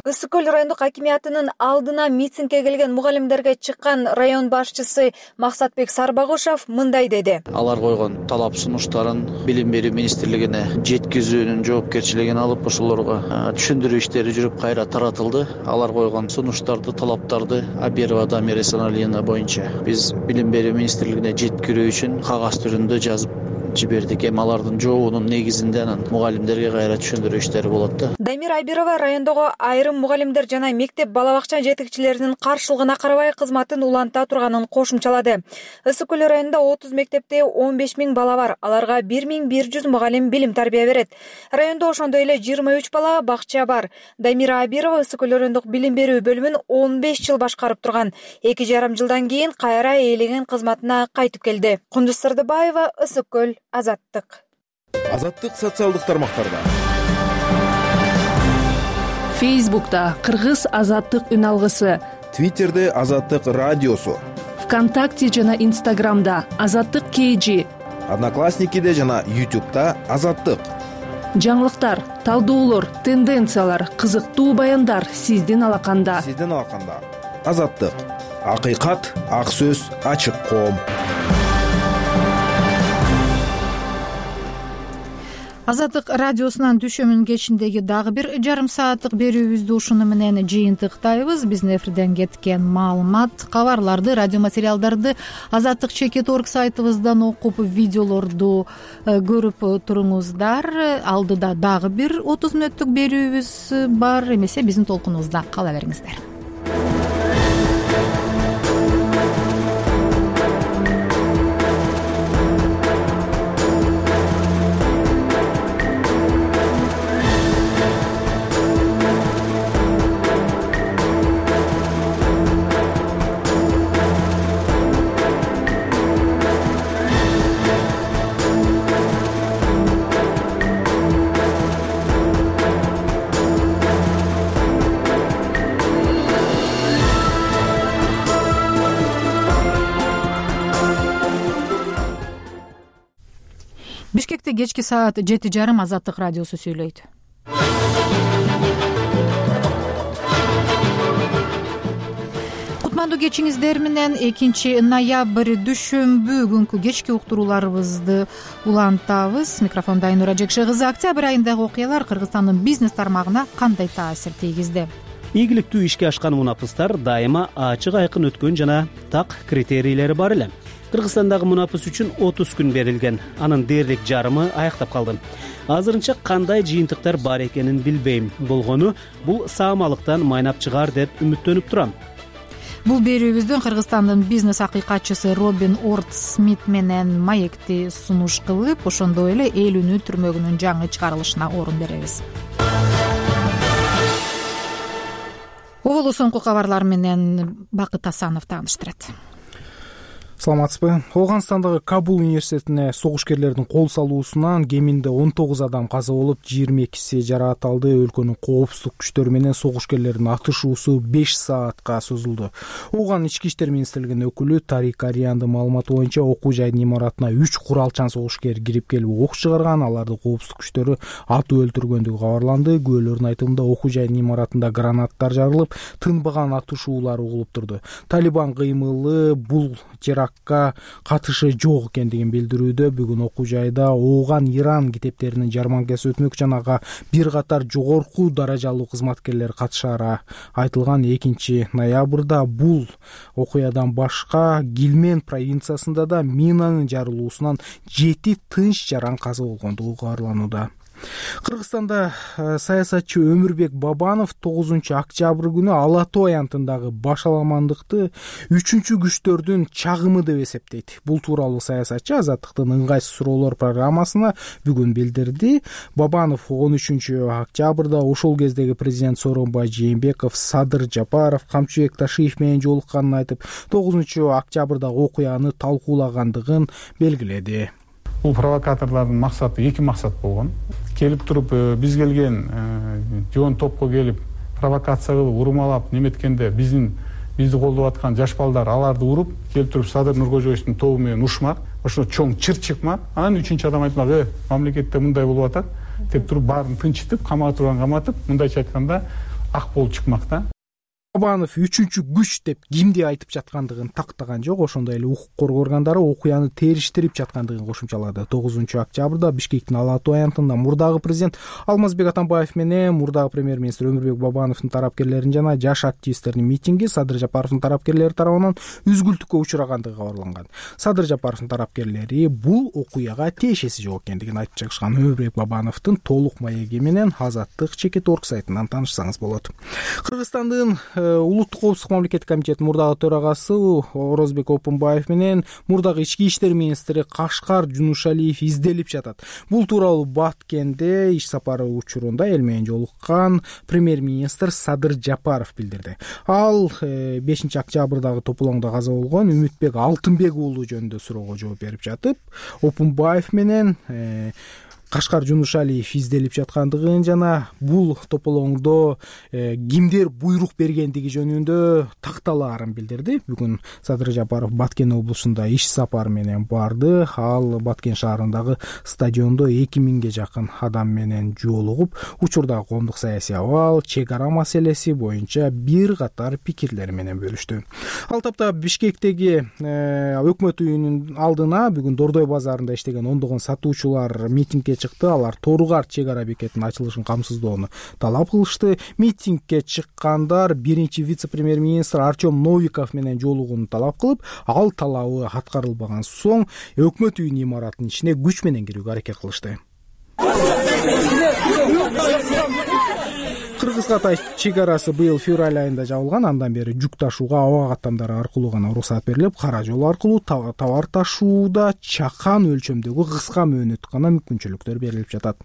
Ысык көл райондук акимиятынын алдына митингге келген мугалимдерге чыккан район башчысы Максатбек Сарбагушев мындай деди. Алар койгон талап сунуштарын билим берүү министрлигине жеткизүүнүн жоопкерчилигин алып, ошолорго түшүндүрүү иштери жүрүп кайра таратылды. Алар койгон сунуштарды, талаптарды Абирова Дамира Саналиевна боюнча биз билим берүү министрлигине жеткирүү үчүн кагаз түрүндө жазып жибердик. Эми алардын жообунун негизинде анан мугалимдерге кайра түшүндүрүү иштери болот да. Дамира Абирова райондогу айрым мугалимдер жана мектеп бала бакча жетекчилеринин каршылыгына карабай кызматын уланта турганын кошумчалады. Ысык көл районунда отуз мектепте он беш миң бала бар. Аларга бир миң бир жүз мугалим билим тарбия берет. Райондо ошондой эле жыйырма үч бала бакча бар. Дамира Абирова Ысык көл райондук билим берүү бөлүмүн он беш жыл башкарып турган. эки жарым жылдан кийин кайра ээлеген кызматына кайтып келди. Кундуз Сырдыбаева, Ысык көл, Азаттык. Азаттык социалдык тармактарда. Фейсбукта Кыргыз Азаттык үн алгысы, Твиттерде Азаттык радиосу, ВКонтакте жана Инстаграмда Азаттык КЖ, Одноклассникиде жана Ютубта Азаттык. Жаңылыктар, талдоолор, тенденциялар, кызыктуу баяндар сиздин алаканда. Сиздин алаканда. Азаттык. Акыйкат, ак сөз, ачык коом. Азаттык радиосунан түшөмүн кечиндеги дагы бир жарым сааттык берүүбүздү ушуну менен жыйынтыктайбыз. Биздин эфирден кеткен маалымат, кабарларды, радио материалдарды азаттык чекит точка орг сайтыбыздан окуп, видеолорду көрүп туруңуздар. Алдыда дагы бир отуз мүнөттүк берүүбүз бар. Эмесе биздин толкунубузда кала бериңиздер. Бишкекте кечки саат жети жарым Азаттык радиосу сүйлөйт. Кутмандуу кечиңиздер менен экинчи ноябрь дүшөмбү күнкү кечки уктурууларыбызды улантабыз. Микрофонда Айнура Жекше кызы. Октябрь айындагы окуялар Кыргызстандын бизнес тармагына кандай таасир тийгизди? Ийгиликтүү ишке ашкан мунапыстар дайыма ачык айкын өткөн жана так критерийлери бар эле. Кыргызстандагы мунапыс үчүн отуз күн берилген. Анын дээрлик жарымы аяктап калды. Азырынча кандай жыйынтыктар бар экенин билбейм. Болгону бул саамалыктан майнап чыгаар деп үмүттөнүп турам. Бул берүүбүздөн Кыргызстандын бизнес акыйкатчысы Робин Орт Смит менен маекти сунуш кылып, ошондой эле эл үнү түрмөгүнүн жаңы чыгарылышына орун беребиз. Оболу соңку кабарлар менен Бакыт Асанов тааныштырат. Саламатсызбы. Ооганстандагы Кабул университетине согушкерлердин кол салуусунан кеминде он тогуз адам каза болуп, жыйырма экиси жаракат алды. Өлкөнүн коопсуздук күчтөрү менен согушкерлердин атышуусу беш саатка созулду. Ооган ички иштер министрлигинин өкүлү Тарик Ариандын маалыматы боюнча окуу жайдын имаратына үч куралчан согушкер кирип келип ок чыгарган. Аларды коопсуздук күчтөрү атып өлтүргөндүгү кабарланды. Күбөлөрдүн айтымында окуу жайдын имаратында гранаттар жарылып, тынбаган атышуулар угулуп турду. Талибан кыймылы бул терактка катышы жок экендигин билдирүүдө. Бүгүн окуу жайда Ооган Иран китептеринин жарманкасы өтмөк, жана ага бир катар жогорку даражалуу кызматкерлер катышары айтылган. Экинчи ноябрда бул окуядан башка Гилмен провинциясында да минанын жарылуусунан жети тынч жаран каза болгондугу кабарланууда. Кыргызстанда саясатчы Өмүрбек Бабанов тогузунчу октябрь күнү Ала Тоо аянтындагы башаламандыкты үчүнчү күчтөрдүн чагымы деп эсептейт. Бул тууралуу саясатчы Азаттыктын ыңгайсыз суроолор программасына бүгүн билдирди. Бабанов он үчүнчү октябрда ошол кездеги президент Сооронбай Жээнбеков, Садыр Жапаров, Камчыбек Ташиев менен жолукканын айтып, тогузунчу октябрдагы окуяны талкуулагандыгын белгиледи. Бул провокаторлордун максаты эки максат болгон. Келип туруп биз келген жоон топко келип провокация кылып урмалап неметкенде биздин бизди колдоп аткан жаш балдар аларды уруп келип туруп Садыр Нуркожоевичтин тобу менен ушмак, ошо чоң чыр чыкмак. Анан үчүнчү адам айтмак: "Э, мамлекетте мындай болуп атат" деп туруп баарын тынчытып, камага турган каматып, мындайча айтканда ак болуп чыкмак да. Бабанов үчүнчү күч деп кимди айтып жаткандыгын тактаган жок. Ошондой эле укук коргоо органдары окуяны териштирип жаткандыгын кошумчалады. тогузунчу октябрда Бишкектин Ала Тоо аянтында мурдагы президент Алмазбек Атамбаев менен мурдагы премьер-министр Өмүрбек Бабановдун тарапкерлеринин жана жаш активисттердин митинги Садыр Жапаровдун тарапкерлери тарабынан үзгүлтүккө учурагандыгы кабарланган. Садыр Жапаровдун тарапкерлери бул окуяга тиешеси жок экендигин айтып чыгышкан. Өмүрбек Бабановдун толук маеги менен азаттык чекит точка орг сайтынан таанышсаңыз болот. Кыргызстандын улуттук коопсуздук мамлекеттик комитетинин мурдагы төрагасы Орозбек Опунбаев менен мурдагы ички иштер министри Кашкар Жунушалиев изделип жатат. Бул тууралуу Баткенде иш сапары учурунда эл менен жолуккан премьер-министр Садыр Жапаров билдирди. Ал бешинчи октябрдагы тополоңдо каза болгон Үмүтбек Алтынбек уулу жөнүндө суроого жооп берип жатып, Опунбаев менен Кашкар Жунушалиев изделип жаткандыгын жана бул тополоңдо э, кимдер буйрук бергендиги жөнүндө такталаарын билдирди. Бүгүн Садыр Жапаров Баткен облусунда иш сапары менен барды. Ал Баткен шаарындагы стадиондо эки миңге жакын адам менен жолугуп, учурдагы коомдук саясий абал, чек ара маселеси боюнча бир катар пикирлери менен бөлүштү. Ал тапта Бишкектеги э, өкмөт үйүнүн алдына бүгүн Дордой базарында иштеген ондогон сатуучулар митингге чыкты. Алар Торугар чек ара бекетинин ачылышын камсыздоону талап кылышты. Митингге чыккандар биринчи вице-премьер-министр Артем Новиков менен жолугууну талап кылып, ал талабы аткарылбаган соң өкмөт үйүнүн имаратынын ичине күч менен кирүүгө аракет кылышты. Кыргыз-Кытай чек арасы быйыл февраль айында жабылган. Андан бери жүк ташууга аба каттамдары аркылуу гана уруксат берилип, кара жол аркылуу товар ташууда чакан өлчөмдөгү кыска мөөнөт гана мүмкүнчүлүктөр берилип жатат.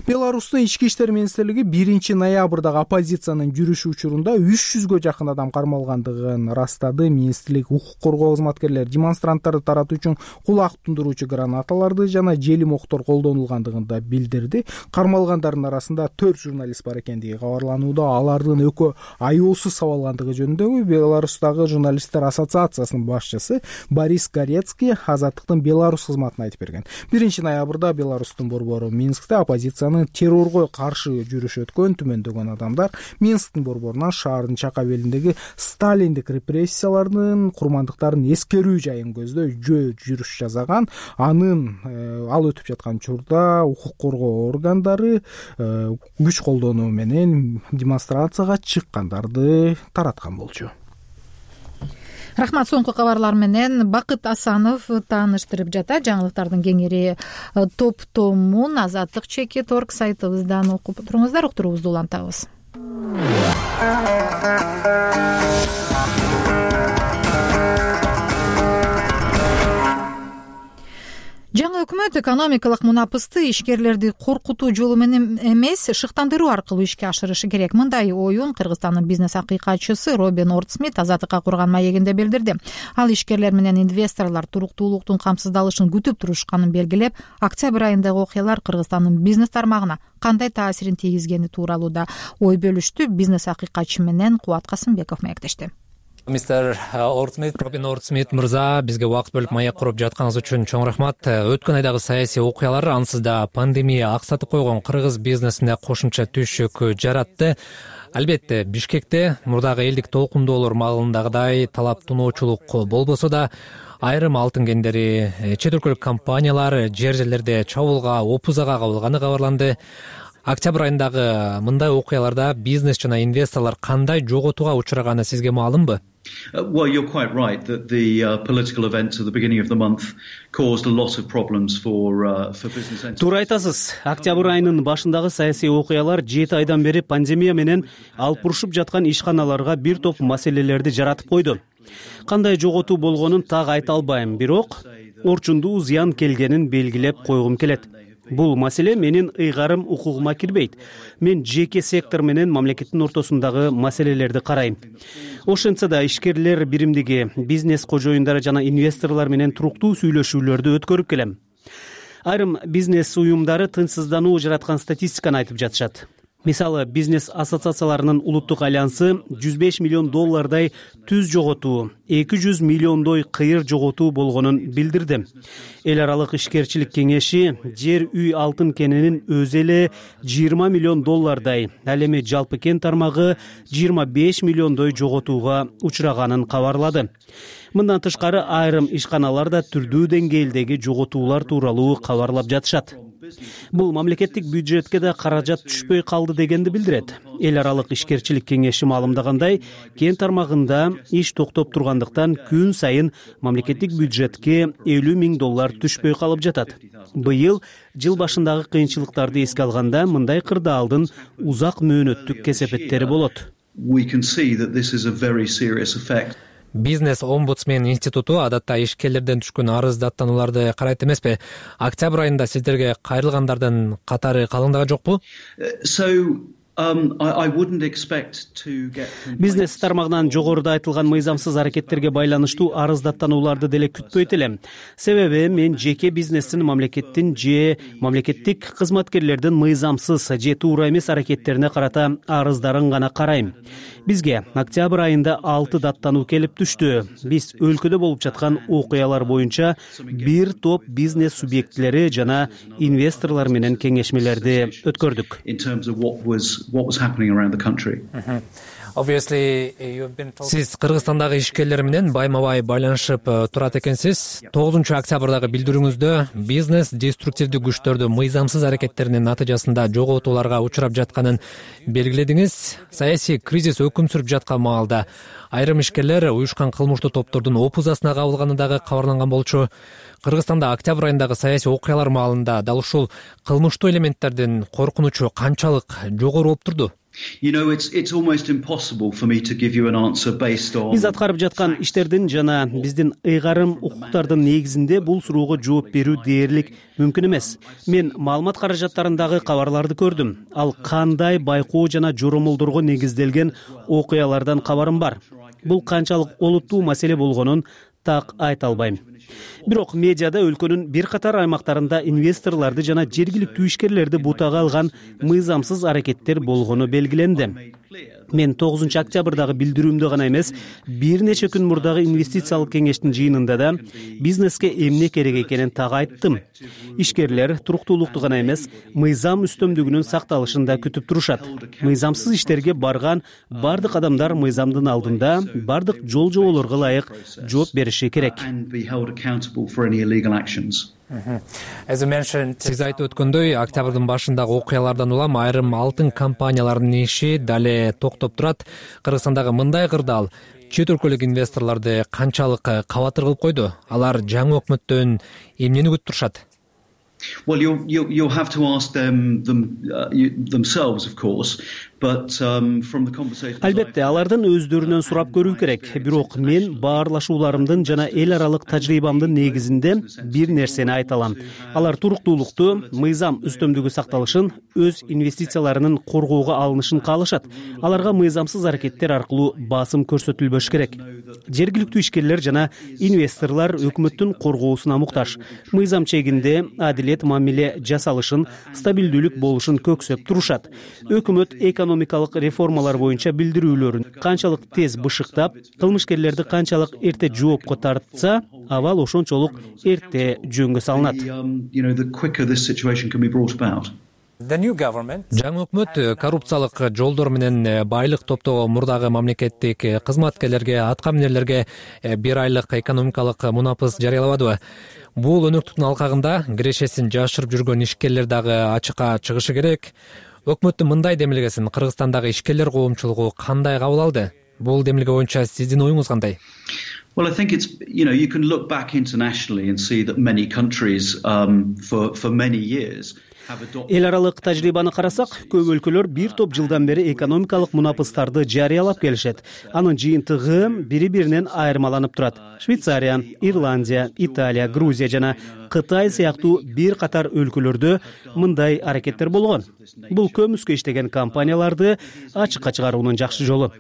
Беларустун ички иштер министрлиги биринчи ноябрдагы оппозициянын жүрүшү учурунда үч жүзгө жакын адам кармалгандыгын ырастады. Министрлик укук коргоо кызматкерлери демонстранттарды таратуу үчүн кулак тундуруучу гранаталарды жана желим октор колдонулгандыгын да билдирди. Кармалгандардын арасында төрт журналист бар экендиги кабарланды. Алардын экөө аяосуз сабалгандыгы жөнүндөгү Беларустагы журналисттер ассоциациясынын башчысы Борис Горецкий Азаттыктын Беларусь кызматына айтып берген. биринчи ноябрда Беларустун борбору Минскте оппозициянын террорго каршы жүрүш өткөн түмөндөгөн адамдар Минсктин борборунан шаардын чак абелиндеги сталиндик репрессиялардын курмандыктарын эскерүү жайын көздөй жөө жүрүш жасаган. Анын э, ал өтүп жаткан учурда укук коргоо органдары э, күч колдонуу менен демонстрацияга чыккандарды тараткан болчу. Рахмат. Соңку кабарлар менен Бакыт Асанов тааныштырып жатат. Жаңылыктардын кеңири топтомун азаттык чекит точка орг сайтыбыздан окуп туруңуздар. Уктуруубузду улантабыз. Жаңы өкмөт экономикалык мунапысты ишкерлерди коркутуу жолу менен эмес, шыктандыруу аркылуу ишке ашырышы керек. Мындай оюн Кыргызстандын бизнес акыйкатчысы Робин Ордсмит Азаттыкка курган маегинде билдирди. Ал ишкерлер менен инвесторлор туруктуулуктун камсыздалышын күтүп турушканын белгилеп, октябрь айындагы окуялар Кыргызстандын бизнес тармагына кандай таасирин тийгизгени тууралуу да ой бөлүштү. Бизнес акыйкатчы менен Кубат Касымбеков маектешти. Мистер Ордсмит, Робин Ордсмит мырза, бизге убакыт бөлүп маек куруп жатканыңыз үчүн чоң рахмат. Өткөн айдагы саясий окуялар ансыз да пандемия аксатып койгон кыргыз бизнесине кошумча түшүк жаратты. Албетте, Бишкекте мурдагы элдик толкундоолор маалындагыдай талап туноочулук болбосо да, айрым алтын кендери, чет өлкөлүк компаниялар жер жерлерде чабуулга, опузага кабылганы кабарланды. Октябрь айындагы мындай окуяларда бизнес жана инвесторлор кандай жоготууга учураганы сизге маалымбы? Well, you're quite right that the uh, political events at the beginning of the month caused a lot of problems for uh, for business entities. Туура айтасыз. Октябрь айынын башындагы саясий окуялар жети айдан бери пандемия менен алпурушуп жаткан ишканаларга бир топ маселелерди жаратып койду. Кандай жоготуу болгонун так айта албайм, бирок орчундуу зыян келгенин белгилеп койгум келет. Бул маселе менин ыйгарым укугума кирбейт. Мен жеке сектор менен мамлекеттин ортосундагы маселелерди карайм. Ошентсе да ишкерлер биримдиги, бизнес кожоюндары жана инвесторлор менен туруктуу сүйлөшүүлөрдү өткөрүп келем. Айрым бизнес уюмдары тынчсыздануу жараткан статистиканы айтып жатышат. Мисалы, бизнес ассоциацияларынын улуттук альянсы жүз беш миллион доллардай түз жоготуу, эки жүз миллиондой кыйыр жоготуу болгонун билдирди. Эл аралык ишкерчилик кеңеши жер үй алтын кенинин өзү эле жыйырма миллион доллардай, ал эми жалпы кен тармагы жыйырма беш миллиондой жоготууга учураганын кабарлады. Мындан тышкары айрым ишканалар да түрдүү деңгээлдеги жоготуулар тууралуу кабарлап жатышат. Бул мамлекеттик бюджетке да каражат түшпөй калды дегенди билдирет. Эл аралык ишкерчилик кеңеши маалымдагандай, кен тармагында иш токтоп тургандыктан күн сайын мамлекеттик бюджетке элүү миң доллар түшпөй калып жатат. Быйыл жыл башындагы кыйынчылыктарды эске алганда мындай кырдаалдын узак мөөнөттүк кесепеттери болот. We can see that this is a very serious effect. Бизнес омбудсмен институту адатта ишкерлерден түшкөн арыз даттанууларды карайт эмеспи? Октябрь айында сиздерге кайрылгандардын катары калыңдаган жокпу? So Um, I, I wouldn't expect to get... Бизнес тармагынан жогоруда айтылган мыйзамсыз аракеттерге байланыштуу арыз даттанууларды деле күтпөйт элем. Себеби мен жеке бизнестин мамлекеттин же мамлекеттик кызматкерлердин мыйзамсыз же туура эмес аракеттерине карата арыздарын гана карайм. Бизге октябрь айында алты даттануу келип түштү. Биз өлкөдө болуп жаткан окуялар боюнча бир топ бизнес субъектлери жана инвесторлор менен кеңешмелерди өткөрдүк. In terms of what was what was happening around the country. Сиз Кыргызстандагы ишкерлер менен байма-бай байланышып турат экенсиз. тогузунчу октябрдагы билдирүүңүздө бизнес деструктивдүү күчтөрдү мыйзамсыз аракеттеринин натыйжасында жоготууларга учурап жатканын белгиледиңиз. Саясий кризис өкүм сүрүп жаткан маалда айрым ишкерлер уюшкан кылмыштуу топтордун опузасына кабылганы дагы кабарланган болчу. Кыргызстанда октябрь айындагы саясий окуялар маалында дал ушул кылмыштуу элементтердин коркунучу канчалык жогору болуп турду? Биз аткарып жаткан иштердин жана биздин ыйгарым укуктардын негизинде бул суроого жооп берүү дээрлик мүмкүн эмес. Мен маалымат каражаттарындагы кабарларды көрдүм. Ал кандай байкоо жана жоромолдорго негизделген окуялардан кабарым бар. Бул канчалык олуттуу маселе болгонун так айта албайм. Бирок медиада өлкөнүн бир катар аймактарында инвесторлорду жана жергиликтүү ишкерлерди бутага алган мыйзамсыз аракеттер болгону белгиленди. Мен тогузунчу октябрдагы билдирүүмдө гана эмес, бир нече күн мурдагы инвестициялык кеңештин жыйынында да бизнеске эмне керек экенин так айттым. Ишкерлер туруктуулукту гана эмес, мыйзам үстөмдүгүнүн сакталышын да күтүп турушат. Мыйзамсыз иштерге барган бардык адамдар мыйзамдын алдында бардык жол жоболорго ылайык жооп бериши керек. Сиз айтып өткөндөй, октябрдын башындагы окуялардан улам айрым алтын компаниялардын иши дале токтоп турат. Кыргызстандагы мындай кырдаал чет өлкөлүк инвесторлорду канчалык кабатыр кылып койду? Алар жаңы өкмөттөн эмнени күтүп турушат? Well, you'll, you'll, you'll have to ask them, them uh, you, themselves, of course. But um, from the conversation. Албетте, алардын өздөрүнөн сурап көрүү керек. Бирок мен баарлашууларымдын жана эл аралык тажрыйбамдын негизинде бир нерсени айта алам. Алар туруктуулукту, мыйзам үстөмдүгү сакталышын, өз инвестицияларынын коргоого алынышын каалашат. Аларга мыйзамсыз аракеттер аркылуу басым көрсөтүлбөш керек. Жергиликтүү ишкерлер жана инвесторлор өкмөттүн коргоосуна муктаж. Мыйзам чегинде адилет мамиле жасалышын, стабилдүүлүк болушун көксөп турушат. Өкмөт экономикалык реформалар боюнча билдирүүлөрүн канчалык тез бышыктап, кылмышкерлерди канчалык эрте жоопко тартса, абал ошончолук эрте жөнгө салынат. Жаңы өкмөт коррупциялык жолдор менен байлык топтогон мурдагы мамлекеттик кызматкерлерге, аткаминерлерге бир айлык экономикалык мунапыс жарыялабадыбы? Бул өнөктүктүн алкагында кирешесин жашырып жүргөн ишкерлер дагы ачыкка чыгышы керек. Өкмөттүн мындай демилгесин Кыргызстандагы ишкерлер коомчулугу кандай кабыл алды? Бул демилге боюнча сиздин оюңуз кандай? Well, I think it's, you know, you can look back internationally and see that many countries um, for, for many years Эл аралык тажрыйбаны карасак, көп өлкөлөр бир топ жылдан бери экономикалык мунапыстарды жарыялап келишет. Анын жыйынтыгы бири-биринен айырмаланып турат. Швейцария, Ирландия, Италия, Грузия жана Кытай сыяктуу бир катар өлкөлөрдө мындай аракеттер болгон. Бул көмүскө иштеген компанияларды ачыкка чыгаруунун жакшы жолу.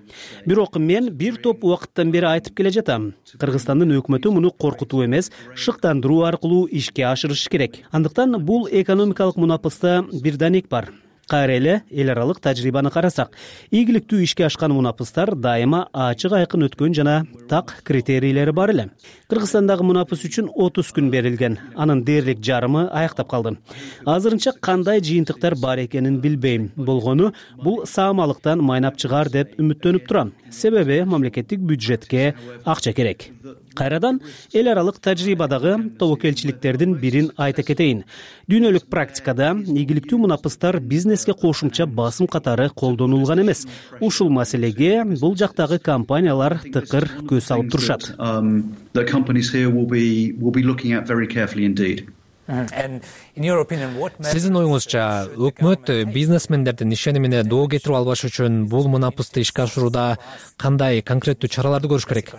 Бирок мен бир топ убакыттан бери айтып келе жатам. Кыргызстандын өкмөтү муну коркутуу эмес, шыктандыруу аркылуу ишке ашырыш керек. Андыктан бул экономикалык мунапыста бир данек бар. Кайра эле эл аралык тажрыйбаны карасак, ийгиликтүү ишке ашкан мунапыстар дайыма ачык айкын өткөн жана так критерийлери бар эле. Кыргызстандагы мунапыс үчүн отуз күн берилген. Анын дээрлик жарымы аяктап калды. Азырынча кандай жыйынтыктар бар экенин билбейм. Болгону бул саамалыктан майнап чыгар деп үмүттөнүп турам. Себеби мамлекеттик бюджетке акча керек. Кайрадан эл аралык тажрыйбадагы тобокелчиликтердин бирин айта кетейин. Дүйнөлүк практикада ийгиликтүү мунапыстар бизнеске кошумча басым катары колдонулган эмес. Ушул маселеге бул жактагы компаниялар тыкыр көз салып турушат. Сиздин оюңузча, өкмөт бизнесмендердин ишенимине доо кетирип албаш үчүн бул мунапысты ишке ашырууда кандай конкреттүү чараларды көрүш керек?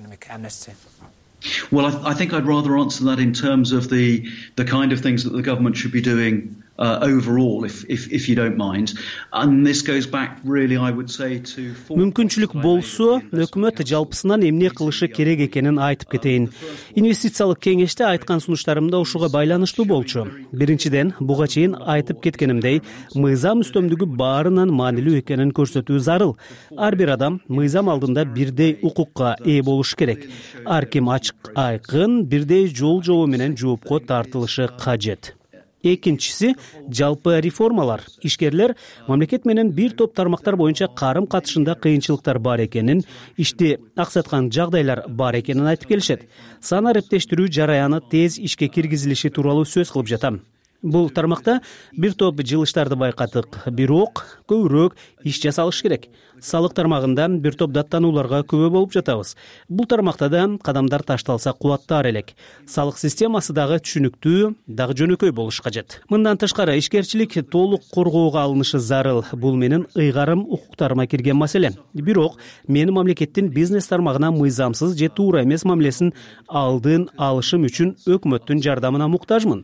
Well, I, I think I'd rather answer that in terms of the the kind of things that the government should be doing uh, overall, if, if if you don't mind. And this goes back, really, I would say, to. Мүмкүнчүлүк болсо, өкмөт жалпысынан эмне кылышы керек экенин айтып кетейин. Инвестициялык кеңеште айткан сунуштарымда ушуга байланыштуу болчу. Биринчиден, буга чейин айтып кеткенимдей, мыйзам үстөмдүгү баарынан маанилүү экенин көрсөтүү зарыл. Ар бир адам мыйзам алдында бирдей укукка ээ болуш керек. Ар ким ачык айкын бирдей жол жобо менен жоопко тартылышы кажет. экинчиси жалпы реформалар. Ишкерлер мамлекет менен бир топ тармактар боюнча карым катышында кыйынчылыктар бар экенин, ишти аксаткан жагдайлар бар экенин айтып келишет. Сан арептештирүү жараяны тез ишке киргизилиши тууралуу сөз кылып жатам. Бул тармакта бир топ жылыштарды байкадык, бирок көбүрөөк иш жасалыш керек. Салык тармагында бир топ даттанууларга күбө болуп жатабыз. Бул тармакта да кадамдар ташталса кубаттаар элек. Салык системасы дагы түшүнүктүү, дагы жөнөкөй болуш кажет. Мындан тышкары ишкерчилик толук коргоого алынышы зарыл. Бул менин ыйгарым укуктарыма кирген маселе. Бирок мен мамлекеттин бизнес тармагына мыйзамсыз же туура эмес мамилесин алдын алышым үчүн өкмөттүн жардамына муктажмын.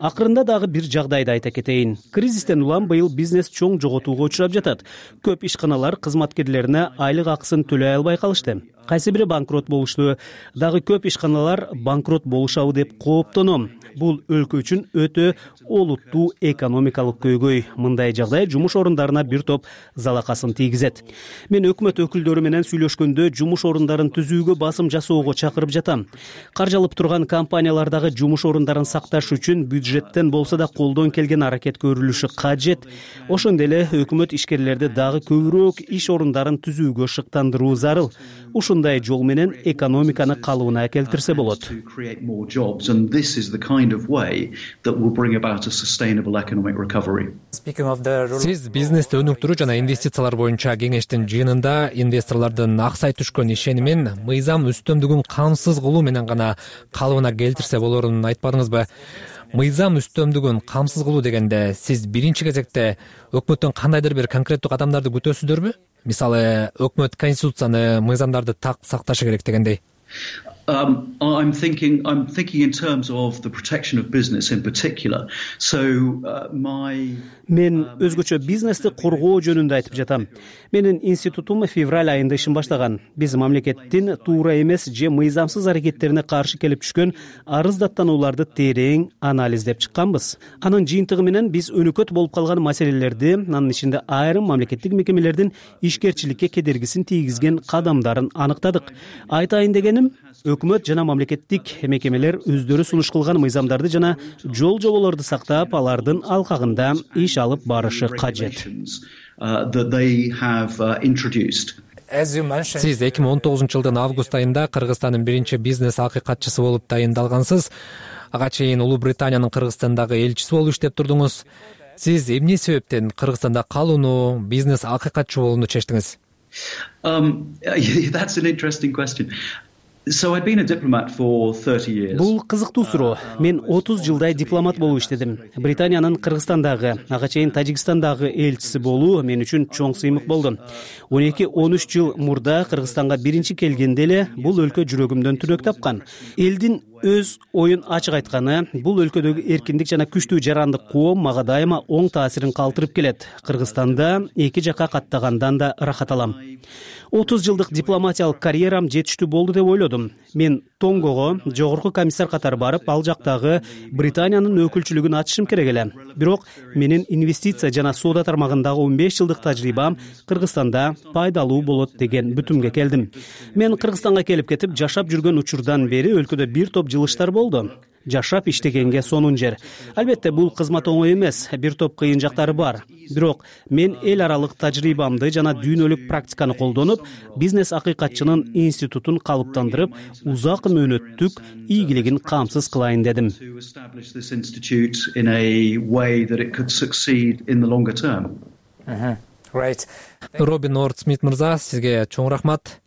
Акырында дагы бир жагдайды айта кетейин. Кризистен улам быйыл бизнес чоң жоготууга учурап жатат. Көп ишканалар кызматкерлерине айлык акысын төлөй албай калышты. Кайсы бири банкрот болушту. Дагы көп ишканалар банкрот болушабы деп кооптоном. Бул өлкө үчүн өтө олуттуу экономикалык көйгөй. Мындай жагдай жумуш орундарына бир топ залакасын тийгизет. Мен өкмөт өкүлдөрү менен сүйлөшкөндө жумуш орундарын түзүүгө басым жасоого чакырып жатам. Каржалып турган компаниялардагы жумуш орундарын сакташ үчүн бюджеттен болсо да колдон келген аракет көрүлүшү кажет. Ошондой эле өкмөт ишкерлерди дагы көбүрөөк иш орундарын түзүүгө шыктандыруу зарыл. Ушундай жол менен экономиканы калыбына келтирсе болот. Сиз бизнести өнүктүрүү жана инвестициялар боюнча кеңештин жыйынында инвесторлордун аксай түшкөн ишенимин мыйзам үстөмдүгүн камсыз кылуу менен гана калыбына келтирсе болорун айтпадыңызбы? Мыйзам үстөмдүгүн камсыз кылуу дегенде сиз биринчи кезекте өкмөттөн кандайдыр бир конкреттүү кадамдарды күтөсүздөрбү? Мисалы, өкмөт конституцияны, мыйзамдарды так сакташы керек дегендей. Um, I'm thinking. I'm thinking in terms of the protection of business in particular. So uh, my. Мен өзгөчө бизнести коргоо жөнүндө айтып жатам. Менин институтум февраль айында ишин баштаган. Биз мамлекеттин туура эмес же мыйзамсыз аракеттерине каршы келип түшкөн арыз даттанууларды терең анализдеп чыкканбыз. Анын жыйынтыгы менен биз өнөкөт болуп калган маселелерди, анын ичинде айрым мамлекеттик мекемелердин ишкерчиликке кедергисин тийгизген кадамдарын аныктадык. Айтайын дегеним, өкмөт жана мамлекеттик мекемелер өздөрү сунуш кылган мыйзамдарды жана жол жоболорду сактап, алардын алкагында иш алып барышы кажет. Сиз эки миң он тогузунчу жылдын август айында Кыргызстандын биринчи бизнес акыйкатчысы болуп тайындалгансыз. Ага чейин Улуу Британиянын Кыргызстандагы элчиси болуп иштеп турдуңуз. Сиз эмне себептен Кыргызстанда калууну, бизнес акыйкатчы болууну чечтиңиз? Um, that's an interesting question. So I'd been a diplomat for thirty years. Бул кызыктуу суроо. Мен отуз жылдай дипломат болуп иштедим. Британиянын Кыргызстандагы, ага чейин Тажикстандагы элчиси болуу мен үчүн чоң сыймык болду. он эки он үч жыл мурда Кыргызстанга биринчи келгенде эле бул өлкө жүрөгүмдөн түнөк тапкан. Элдин өз оюн ачык айтканы, бул өлкөдөгү эркиндик жана күчтүү жарандык коом мага дайыма оң таасирин калтырып келет. Кыргызстанда эки жакка каттагандан да ырахат алам. отуз жылдык дипломатиялык карьерам жетиштүү болду деп ойлодум. Мен Тонгого жогорку комиссар катары барып, ал жактагы Британиянын өкүлчүлүгүн ачышым керек эле. Бирок менин инвестиция жана соода тармагындагы он беш жылдык тажрыйбам Кыргызстанда пайдалуу болот деген бүтүмгө келдим. Мен Кыргызстанга келип кетип жашап жүргөн учурдан бери өлкөдө бир топ жылыштар болду. Жашап иштегенге сонун жер. Албетте бул кызмат оңой эмес, бир топ кыйын жактары бар. Бирок мен эл аралык тажрыйбамды жана дүйнөлүк практиканы колдонуп, бизнес акыйкатчынын институтун калыптандырып, узак мөөнөттүк ийгилигин камсыз кылайын дедим. Робин Ортсмит мырза, сизге чоң рахмат.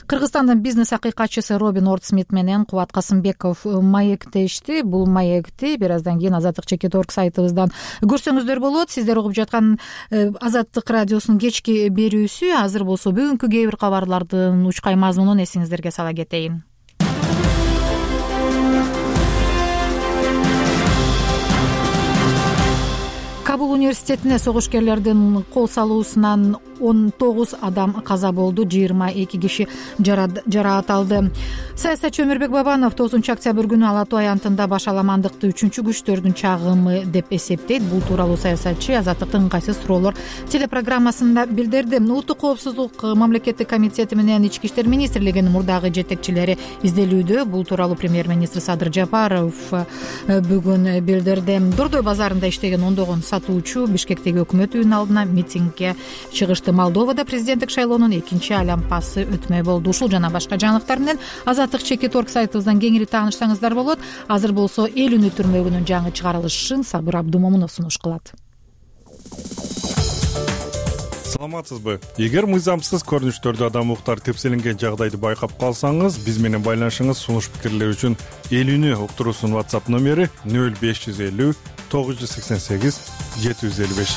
Кыргызстандын бизнес акыйкатчысы Робин Ортсмит менен Кубат Касымбеков маектешти. Бул маекти бир аздан кийин Азаттык чекит точка орг сайтыбыздан көрсөңүздөр болот. Сиздер угуп жаткан Азаттык радиосунун кечки берүүсү. Азыр болсо бүгүнкү кээ бир кабарлардын учкай мазмунун эсиңиздерге сала кетейин. Кабул университетине согушкерлердин кол салуусунан он тогуз адам каза болду, жыйырма эки киши жараат алды. Саясатчы Өмүрбек Бабанов тогузунчу октябрь күнү Ала Тоо аянтында башаламандыкты үчүнчү күчтөрдүн чагымы деп эсептейт. Бул тууралуу саясатчы Азаттыктын кайсы суроолор телепрограммасында билдирди. Улуттук коопсуздук мамлекеттик комитети менен Ички иштер министрлигинин мурдагы жетекчилери изделүүдө. Бул тууралуу премьер-министр Садыр Жапаров бүгүн билдирди. Дордой базарында иштеген ондогон сатуучу Бишкектеги өкмөт үйүнүн алдына митингге чыгышты. Молдовада президенттик шайлоонун экинчи айланпасы өтмөй болду. Ушул жана башка жаңылыктар менен Азаттык чекит орг сайтыбыздан кеңири таанышсаңыздар болот. Азыр болсо эл үнү түрмөгүнүн жаңы чыгарылышын Сабыр Абдумомунов сунуш кылат. Саламатсызбы? Эгер мыйзамсыз көрүнүштөрдү адам укуктары тепселенген жагдайды байкап калсаңыз, биз менен байланышыңыз, сунуш пикирлер үчүн эл үнү уктуруусунун WhatsApp номери нөл беш жүз элүү тогуз жүз сексен сегиз жети жүз элүү беш.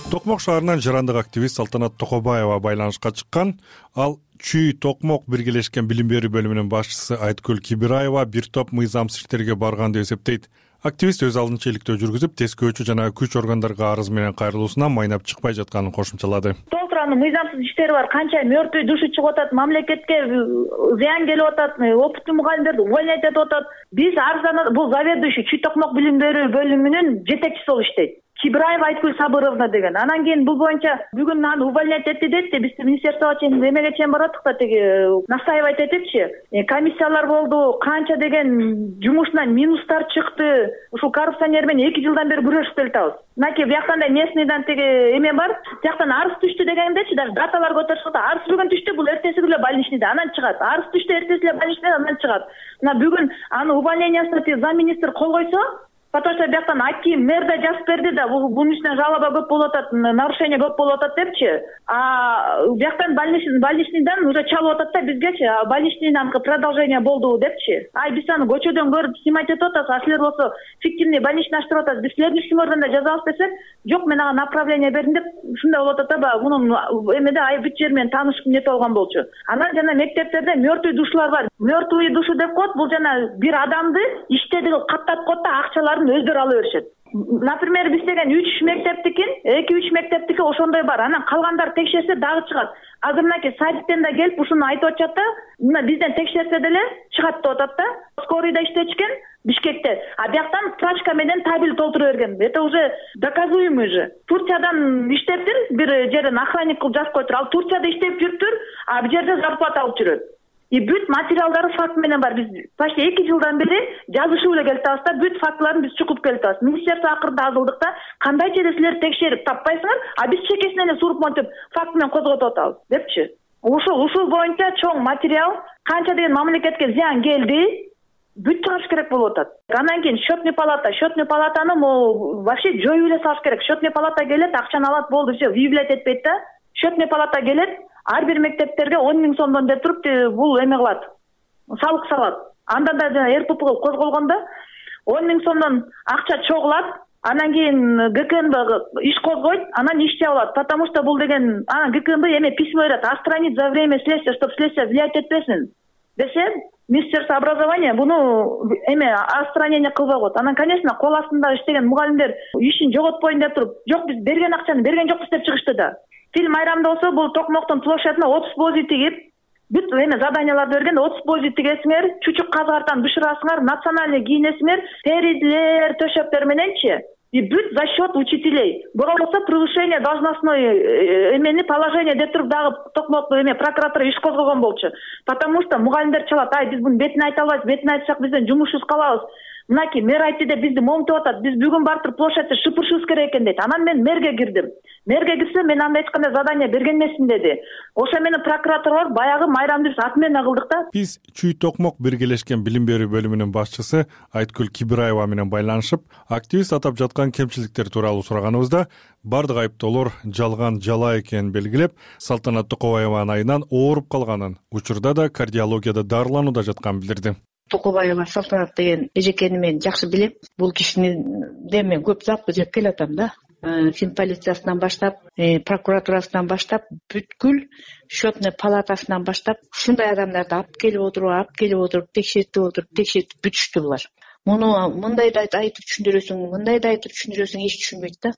Токмок шаарынан жарандык активист Салтанат Токобаева байланышка чыккан. Ал Чүй Токмок биргелешкен билим берүү бөлүмүнүн башчысы Айткүл Кибираева бир топ мыйзамсыз иштерге барган деп эсептейт. Активист өз алдынча иликтөө жүргүзүп, тескөөчү жана күч органдарга арыз менен кайрылуусунан майнап чыкпай жатканын кошумчалады. Толтуранын мыйзамсыз иштери бар, канча мертвый душу чыгып атат, мамлекетке зыян келип атат, опыттуу мугалимдерди увольнять этип атат. Биз арызданат, бул заведующий Чүй Токмок билим берүү бөлүмүнүн жетекчиси болуп иштейт. Кибраева Айткүл Сабыровна деген. Анан кийин бул боюнча бүгүн аны увольнять этти деди. Биз министерствого чейин эмеге чейин бараттык да, тиги настаивать этипчи. Комиссиялар болду, канча деген жумушунан минустар чыкты. Ушул коррупционер менен эки жылдан бери күрөшүп келатабыз. Мынакей бияктан да местныйдан тиги эме бар. Тияктан арыз түштү дегендечи, даже даталар көтөрүшүп атат. Арыз бүгүн түштү, бул эртеси күнү больничныйда, анан чыгат. Арыз түштү, эртеси эле больничныйда, анан чыгат. Мына бүгүн аны увольнениясына тиги замминистр кол койсо, потому что бияктан Аким мэр да жазып берди да, бунун үстүнөн жалоба көп болуп атат, нарушение көп болуп атат депчи. А бияктан больничныйдан уже чалып атат да бизгечи, больничныйдан продолжение болду депчи. Ай биз аны көчөдөн көрүп снимать этип атабыз, а силер болсо фиктивный больничный ачтырып атасыз. Биз силердин ишиңерден да жазабыз десек, жок мен ага направление бердим деп ушундай болуп атат да, мунун эмеде ай бүт жери менен таанышып нетип алган болчу. Анан жана мектептерде мертвый душалар бар. Мертвый душу деп коет, бул жана бир адамды иштеди каттап коет да акчалар өздөрү ала беришет. Например, биз деген үч мектептикин, эки үч мектептики ошондой бар. Анан калгандар текшерсе дагы чыгат. Азырнаки садиктен да келип ушуну айтып атышат да, мына бизден текшерсе деле чыгат деп атат да. Скорыйда иштечкен Бишкекте. А бияктан справка менен табель толтура берген. Это уже доказуемый же. Турциядан иштептир, бир жерден охранник кылып жазып коюптур. Ал Турцияда иштеп жүрүптүр, а бул жерде зарплата алып жүрөт. И бүт материалдары факт менен бар. Биз почти эки жылдан бери жазышып эле келатабыз да, бүт фактыларын биз чукуп келатабыз. Министерство акырында азылдык да, кандайча эле силер текшерип таппайсыңар, а биз чекесине эле суруп монтип факт менен козготуп атабыз депчи. Ушул ушул боюнча чоң материал, канча деген мамлекетке зыян келди, бүт чыгарыш керек болуп атат. Андан кийин счетный палата, счетный палатаны могу вообще жоюп эле салыш керек. Счетный палата келет, акчаны алат, болду, все, выявлять этпейт да. Счетный палата келет, ар бир мектептерге он миң сомдон деп туруп бул эме кылат, салык салат. Анда да жана РПП козголгондо он миң сомдон акча чогулат, анан кийин ГКНБ иш козгойт, анан иш жабылат. Потому что бул деген, анан ГКНБ эме письмо берет, отстранить за время следствия, чтобы следствие влиять этпесин десе, Министерство образования буну эме отстранение кылбай коет. Анан, конечно, кол астында иштеген мугалимдер ишин жоготпойн деп туруп, жок биз берген акчаны берген жокпуз деп чыгышты да. Фильм айрамда болсо, бул Токмоктун площадына отуз бози тигип, бүт эме заданияларды берген, отуз бози тигесиңер, чучук казгартан бышырасыңар, национальный кийинесиңер, теризлер, төшөктөр мененчи. И бүт за счет учителей. Болбосо превышение должностной эмени положение деп туруп дагы Токмок эме прокуратура иш козгогон болчу. Потому что мугалимдер чалат, ай биз буну бетине айта албайбыз, бетине айтсак бизден жумушубуз калабыз. Мынакей мэр айтты деп бизди момтуп атат, биз бүгүн барып площадьты шыпырышыбыз керек экен дейт. Анан мен мэрге кирдим. Мэрге кирсем, мен анда эч кандай задание берген эмесмин деди. Ошо менен прокуратура баягы майрамды биз ат менен кылдык да. Биз Чүй Токмок биргелешкен билим берүү бөлүмүнүн башчысы Айткүл Кибираева менен байланышып, активист атап жаткан кемчиликтер тууралуу сураганыбызда, бардык айыптоолор жалган жала экенин белгилеп, Салтанат Токобаеванын айынан ооруп калганын, учурда да кардиологияда дарыланууда жатканын билдирди. Токобаева Салтанат деген эжекени мен жакшы билем. Бул кишини мен көп запы жеп келатам да. Фин полициясынан баштап, прокуратурасынан баштап, бүткүл счетный палатасынан баштап, ушундай адамдарды алып келип отуруп, алып келип отуруп, текшертип отуруп, текшертип бүтүштү булар. муну мындай да айтып түшүндүрөсүң, мындай да айтып түшүндүрөсүң, эч түшүнбөйт да.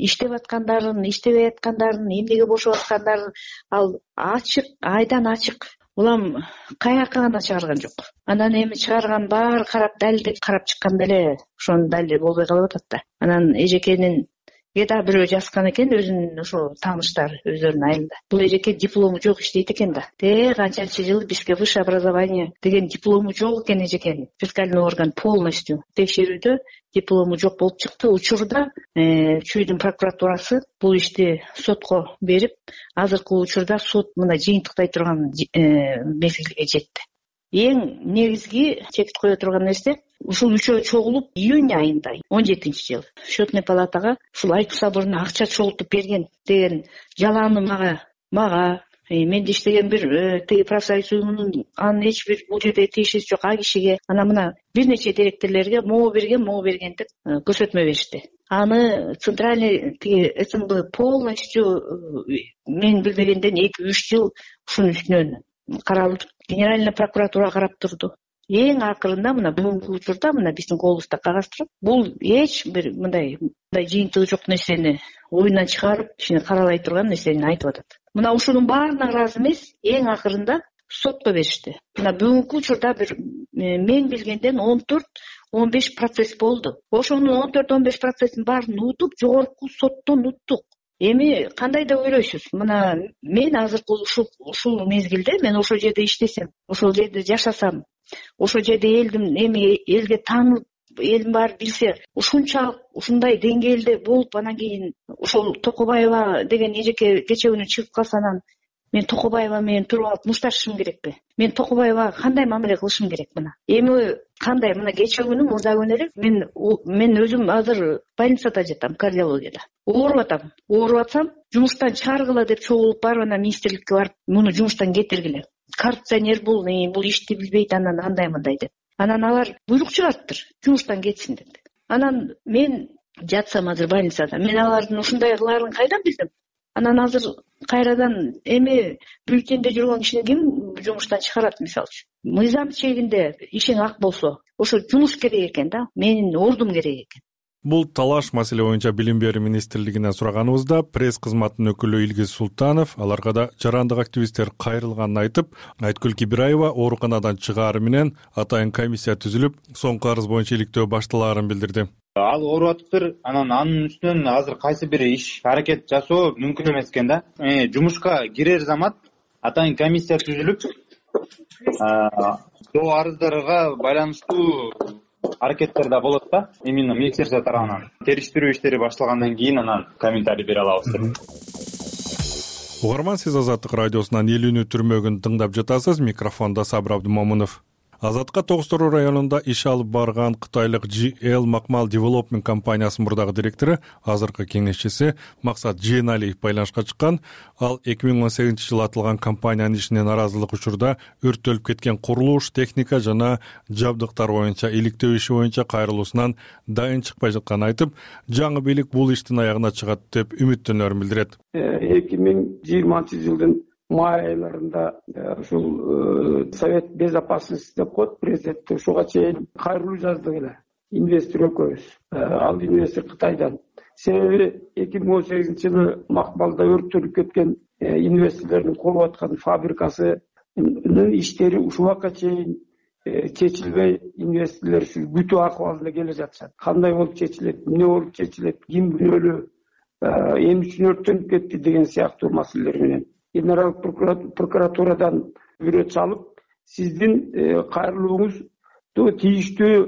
Иштеп аткандарын, иштебей аткандарын, эмнеге бошоп аткандарын ал ачык, айдан ачык. Улам каяка гана чыгарган жок. Анан эми чыгарган баары карап далилдеп карап чыкканда эле ошонун далили болбой калып атат да. Анан эжекенин Эда бирөө жазган экен, өзүнүн ошо тааныштары өздөрүнүн айылында. Бул эжеке диплому жок иштейт экен да. Те канчанчы жыл бизге высшее образование деген диплому жок экен эжекенин. Фискальный орган полностью текшерүүдө диплому жок болуп чыкты. Учурда Чүйдүн прокуратурасы бул ишти сотко берип, азыркы учурда сот мына жыйынтыктай турган мезгилге жетти. Эң негизги чекит кое турган нерсе, ушул үчөө чогулуп июнь айында он жетинчи жыл счетный палатага ушул Айкул соборуна акча чогултуп берген деген жалааны мага мага менде иштеген бир тиги профсоюз уюмунун анын эч бир бул жерде тиешеси жок а кишиге анан мына бир нече директорлорго могу берген могу берген деп көрсөтмө беришти. Аны центральный тиги СМБ полностью мен билбегенден эки үч жыл ушунун үстүнөн каралып, генеральный прокуратура карап турду. Эң акырында мына бүгүнкү учурда мына биздин колубузда кагаз турат. Бул эч бир мындай мындай жыйынтыгы жок нерсени оюнан чыгарып, ишини каралай турган нерсени айтып атат. Мына ушунун баарына ыраазы эмес, эң акырында сотко беришти. Мына бүгүнкү учурда бир мен билгенден он төрт он беш процесс болду. Ошонун он төрт он беш процесстин баарын утуп, жогорку соттон уттук. Эми кандай деп ойлойсуз? Мына мен азыркы ушул ушул мезгилде мен ошол жерде иштесем, ошол жерде жашасам, ошол жерде элдин эми элге таанылып, элдин баары билсе, ушунчалык ушундай деңгээлде болуп, анан кийин ошол Токобаева деген эжеке кечээ чыгып калса, анан мен Токобаева менен туруп алып мушташышым керекпи? Мен Токобаевага кандай мамиле кылышым керек мына? Эми кандай мына кечээ күнү мурда күнү эле мен мен өзүм азыр больницада жатам, кардиологияда. Ооруп атам. Ооруп атсам, жумуштан чыгаргыла деп чогулуп барып, анан министрликке барып, муну жумуштан кетиргиле. Коррупционер бул, бул ишти билбейт, анан андай мындай деп. Анан алар буйрук чыгарыптыр, жумуштан кетсин деп. Анан мен жатсам азыр больницада, мен алардын ушундай кылаарын кайдан билдим? Анан азыр кайрадан эми бюллетенде жүргөн кишини ким жумуштан чыгарат мисалчы? Мыйзам чегинде ишиң ак болсо, ошо жумуш керек экен да, менин ордум керек экен. Бул талаш маселе боюнча Билим берүү министрлигинен сураганыбызда пресс кызматынын өкүлү Илгиз Султанов аларга да жарандык активисттер кайрылганын айтып, Айткүл Кибираева ооруканадан чыгаары менен атайын комиссия түзүлүп, соңку арыз боюнча иликтөө башталаарын билдирди. Ал ооруп атыптыр, анан анын үстүнөн азыр кайсы бир иш аракет жасоо мүмкүн эмес экен да. Жумушка кирер замат атайын комиссия түзүлүп, доо арыздарга байланыштуу аракеттер да болот да, именно министерство тарабынан. Териштирүү иштери башталгандан кийин анан комментарий бере алабыз. Угарман, сиз Азаттык радиосунан элүүнү түрмөгүн тыңдап жатасыз. Микрофондо Сабыр Абдымомунов. Азатка Тогуз-Тору районунда иш алып барган кытайлык джи эл Макмал Development компаниясынын мурдагы директору, азыркы кеңешчиси Максат Жээналиев байланышка чыккан. Ал эки миң он сегизинчи жылы атылган компаниянын ишине наразылык учурда өрттөлүп кеткен курулуш, техника жана жабдыктар боюнча иликтөө иши боюнча кайрылуусунан дайын чыкпай жатканын айтып, жаңы бийлик бул иштин аягына чыгат деп үмүттөнөрүн билдирет. эки миң жыйырманчы жылдын май айларында ушул Совет безопасности деп коет президент, ушуга чейин кайрылуу жаздык эле инвестор экөөбүз. Ал инвестор Кытайдан. Себеби эки миң он сегизинчи жылы Макмалда өрттөлүп кеткен инвесторлордун куруп аткан фабрикасынын иштери ушул убакка чейин чечилбей, инвесторлор ушул күтүү акыбалында келе жатышат. Кандай болуп чечилет, эмне болуп чечилет, ким күнөөлүү, эмне үчүн өрттөнүп кетти деген сыяктуу маселелер менен Генералдык прокуратурадан бирөө чалып, сиздин кайрылууңузду тийиштүү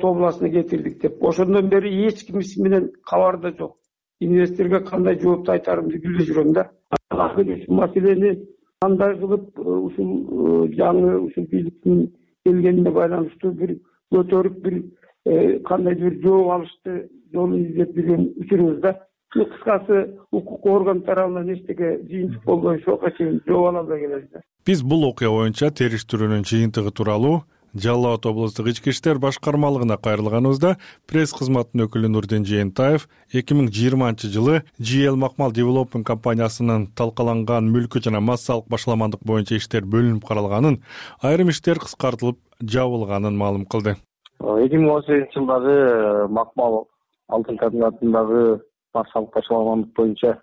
областына кетирдик деп. Ошондон бери эч ким иши менен кабарда жок. Инвесторго кандай жоопту айтарымды билбей жүрөм да. Ушул маселени кандай кылып ушул жаңы ушул бийликтин келгенине байланыштуу бир көтөрүп бир кандайдыр бир жооп алышты жолун издеп жүргөн учурубуз да. Кыскасы укук орган тарабынан эчтеке жыйынтык болбой ошого чейин жооп ала албай келебиз. Биз бул окуя боюнча териштирүүнүн жыйынтыгы тууралуу Жалал Абад облустук ички иштер башкармалыгына кайрылганыбызда пресс кызматынын өкүлү Нурдин Жээнтаев эки миң жыйырманчы жылы джи эл Макмал Development компаниясынын талкаланган мүлкү жана массалык башаламандык боюнча иштер бөлүнүп каралганын, айрым иштер кыскартылып жабылганын маалым кылды. эки миң он сегизинчи жылдагы Макмал алтын комбинатындагы массалык ташкаламандык боюнча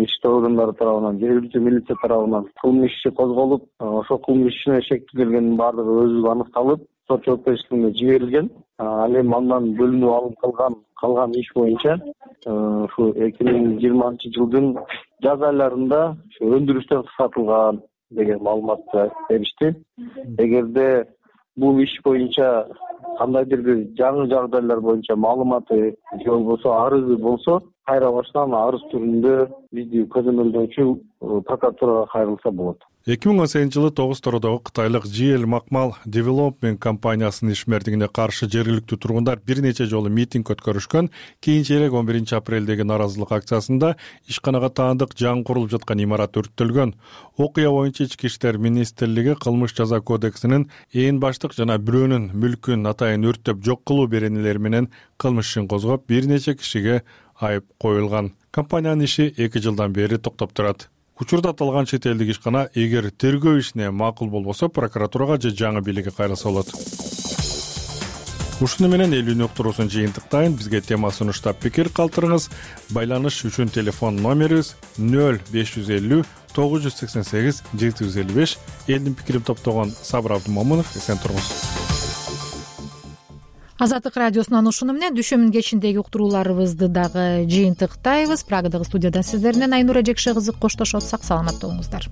ички органдары тарабынан, жергиликтүү милиция тарабынан кылмыш иши козголуп, ошол кылмыш ишине шектүү келгендин баардыгы өзү аныкталып, сот жоопкерчилигине жиберилген. Ал эми андан бөлүнүп алып калган калган иш боюнча ушу эки миң жыйырманчы жылдын жаз айларында ушу өндүрүштөн кыскартылган деген маалыматты беришти. Эгерде бул иш боюнча кандайдыр бир жаңы жагдайлар боюнча маалыматы же болбосо арызы болсо, кайра баштан арыз түрүндө бизди көзөмөлдөөчү прокуратурага кайрылса болот. эки миң он сегизинчи жылы тогуз тородогу кытайлык джи эл Макмал Development компаниясынын ишмердигине каршы жергиликтүү тургундар бир нече жолу митинг өткөрүшкөн. Кийинчерээк он биринчи апрелдеги нааразылык акциясында ишканага таандык жаңы курулуп жаткан имарат өрттөлгөн. Окуя боюнча Ички иштер министрлиги кылмыш жаза кодексинин ээн баштык жана бирөөнүн мүлкүн атайын өрттөп жок кылуу беренелери менен кылмыш ишин козгоп, бир нече кишиге айып коюлган. Компаниянын иши эки жылдан бери токтоп турат. Учурда аталган чет элдик ишкана эгер тергөө ишине макул болбосо прокуратурага же жаңы бийликке кайрылса болот. Ушуну менен элүүнү уктуруусун жыйынтыктайын. Бизге тема сунуштап пикир калтырыңыз. Байланыш үчүн телефон номерибиз нөл беш жүз элүү тогуз жүз сексен сегиз жети жүз элүү беш. Элдин пикирин топтогон Сабыр Абдымомунов, эсен туруңуз. Азаттык радиосунан ушуну менен дүйшөмбү кечиндеги уктурууларыбызды дагы жыйынтыктайбыз. Прагадагы студиядан сиздер менен Айнура Жекше кызы коштошот. Сак саламатта болуңуздар.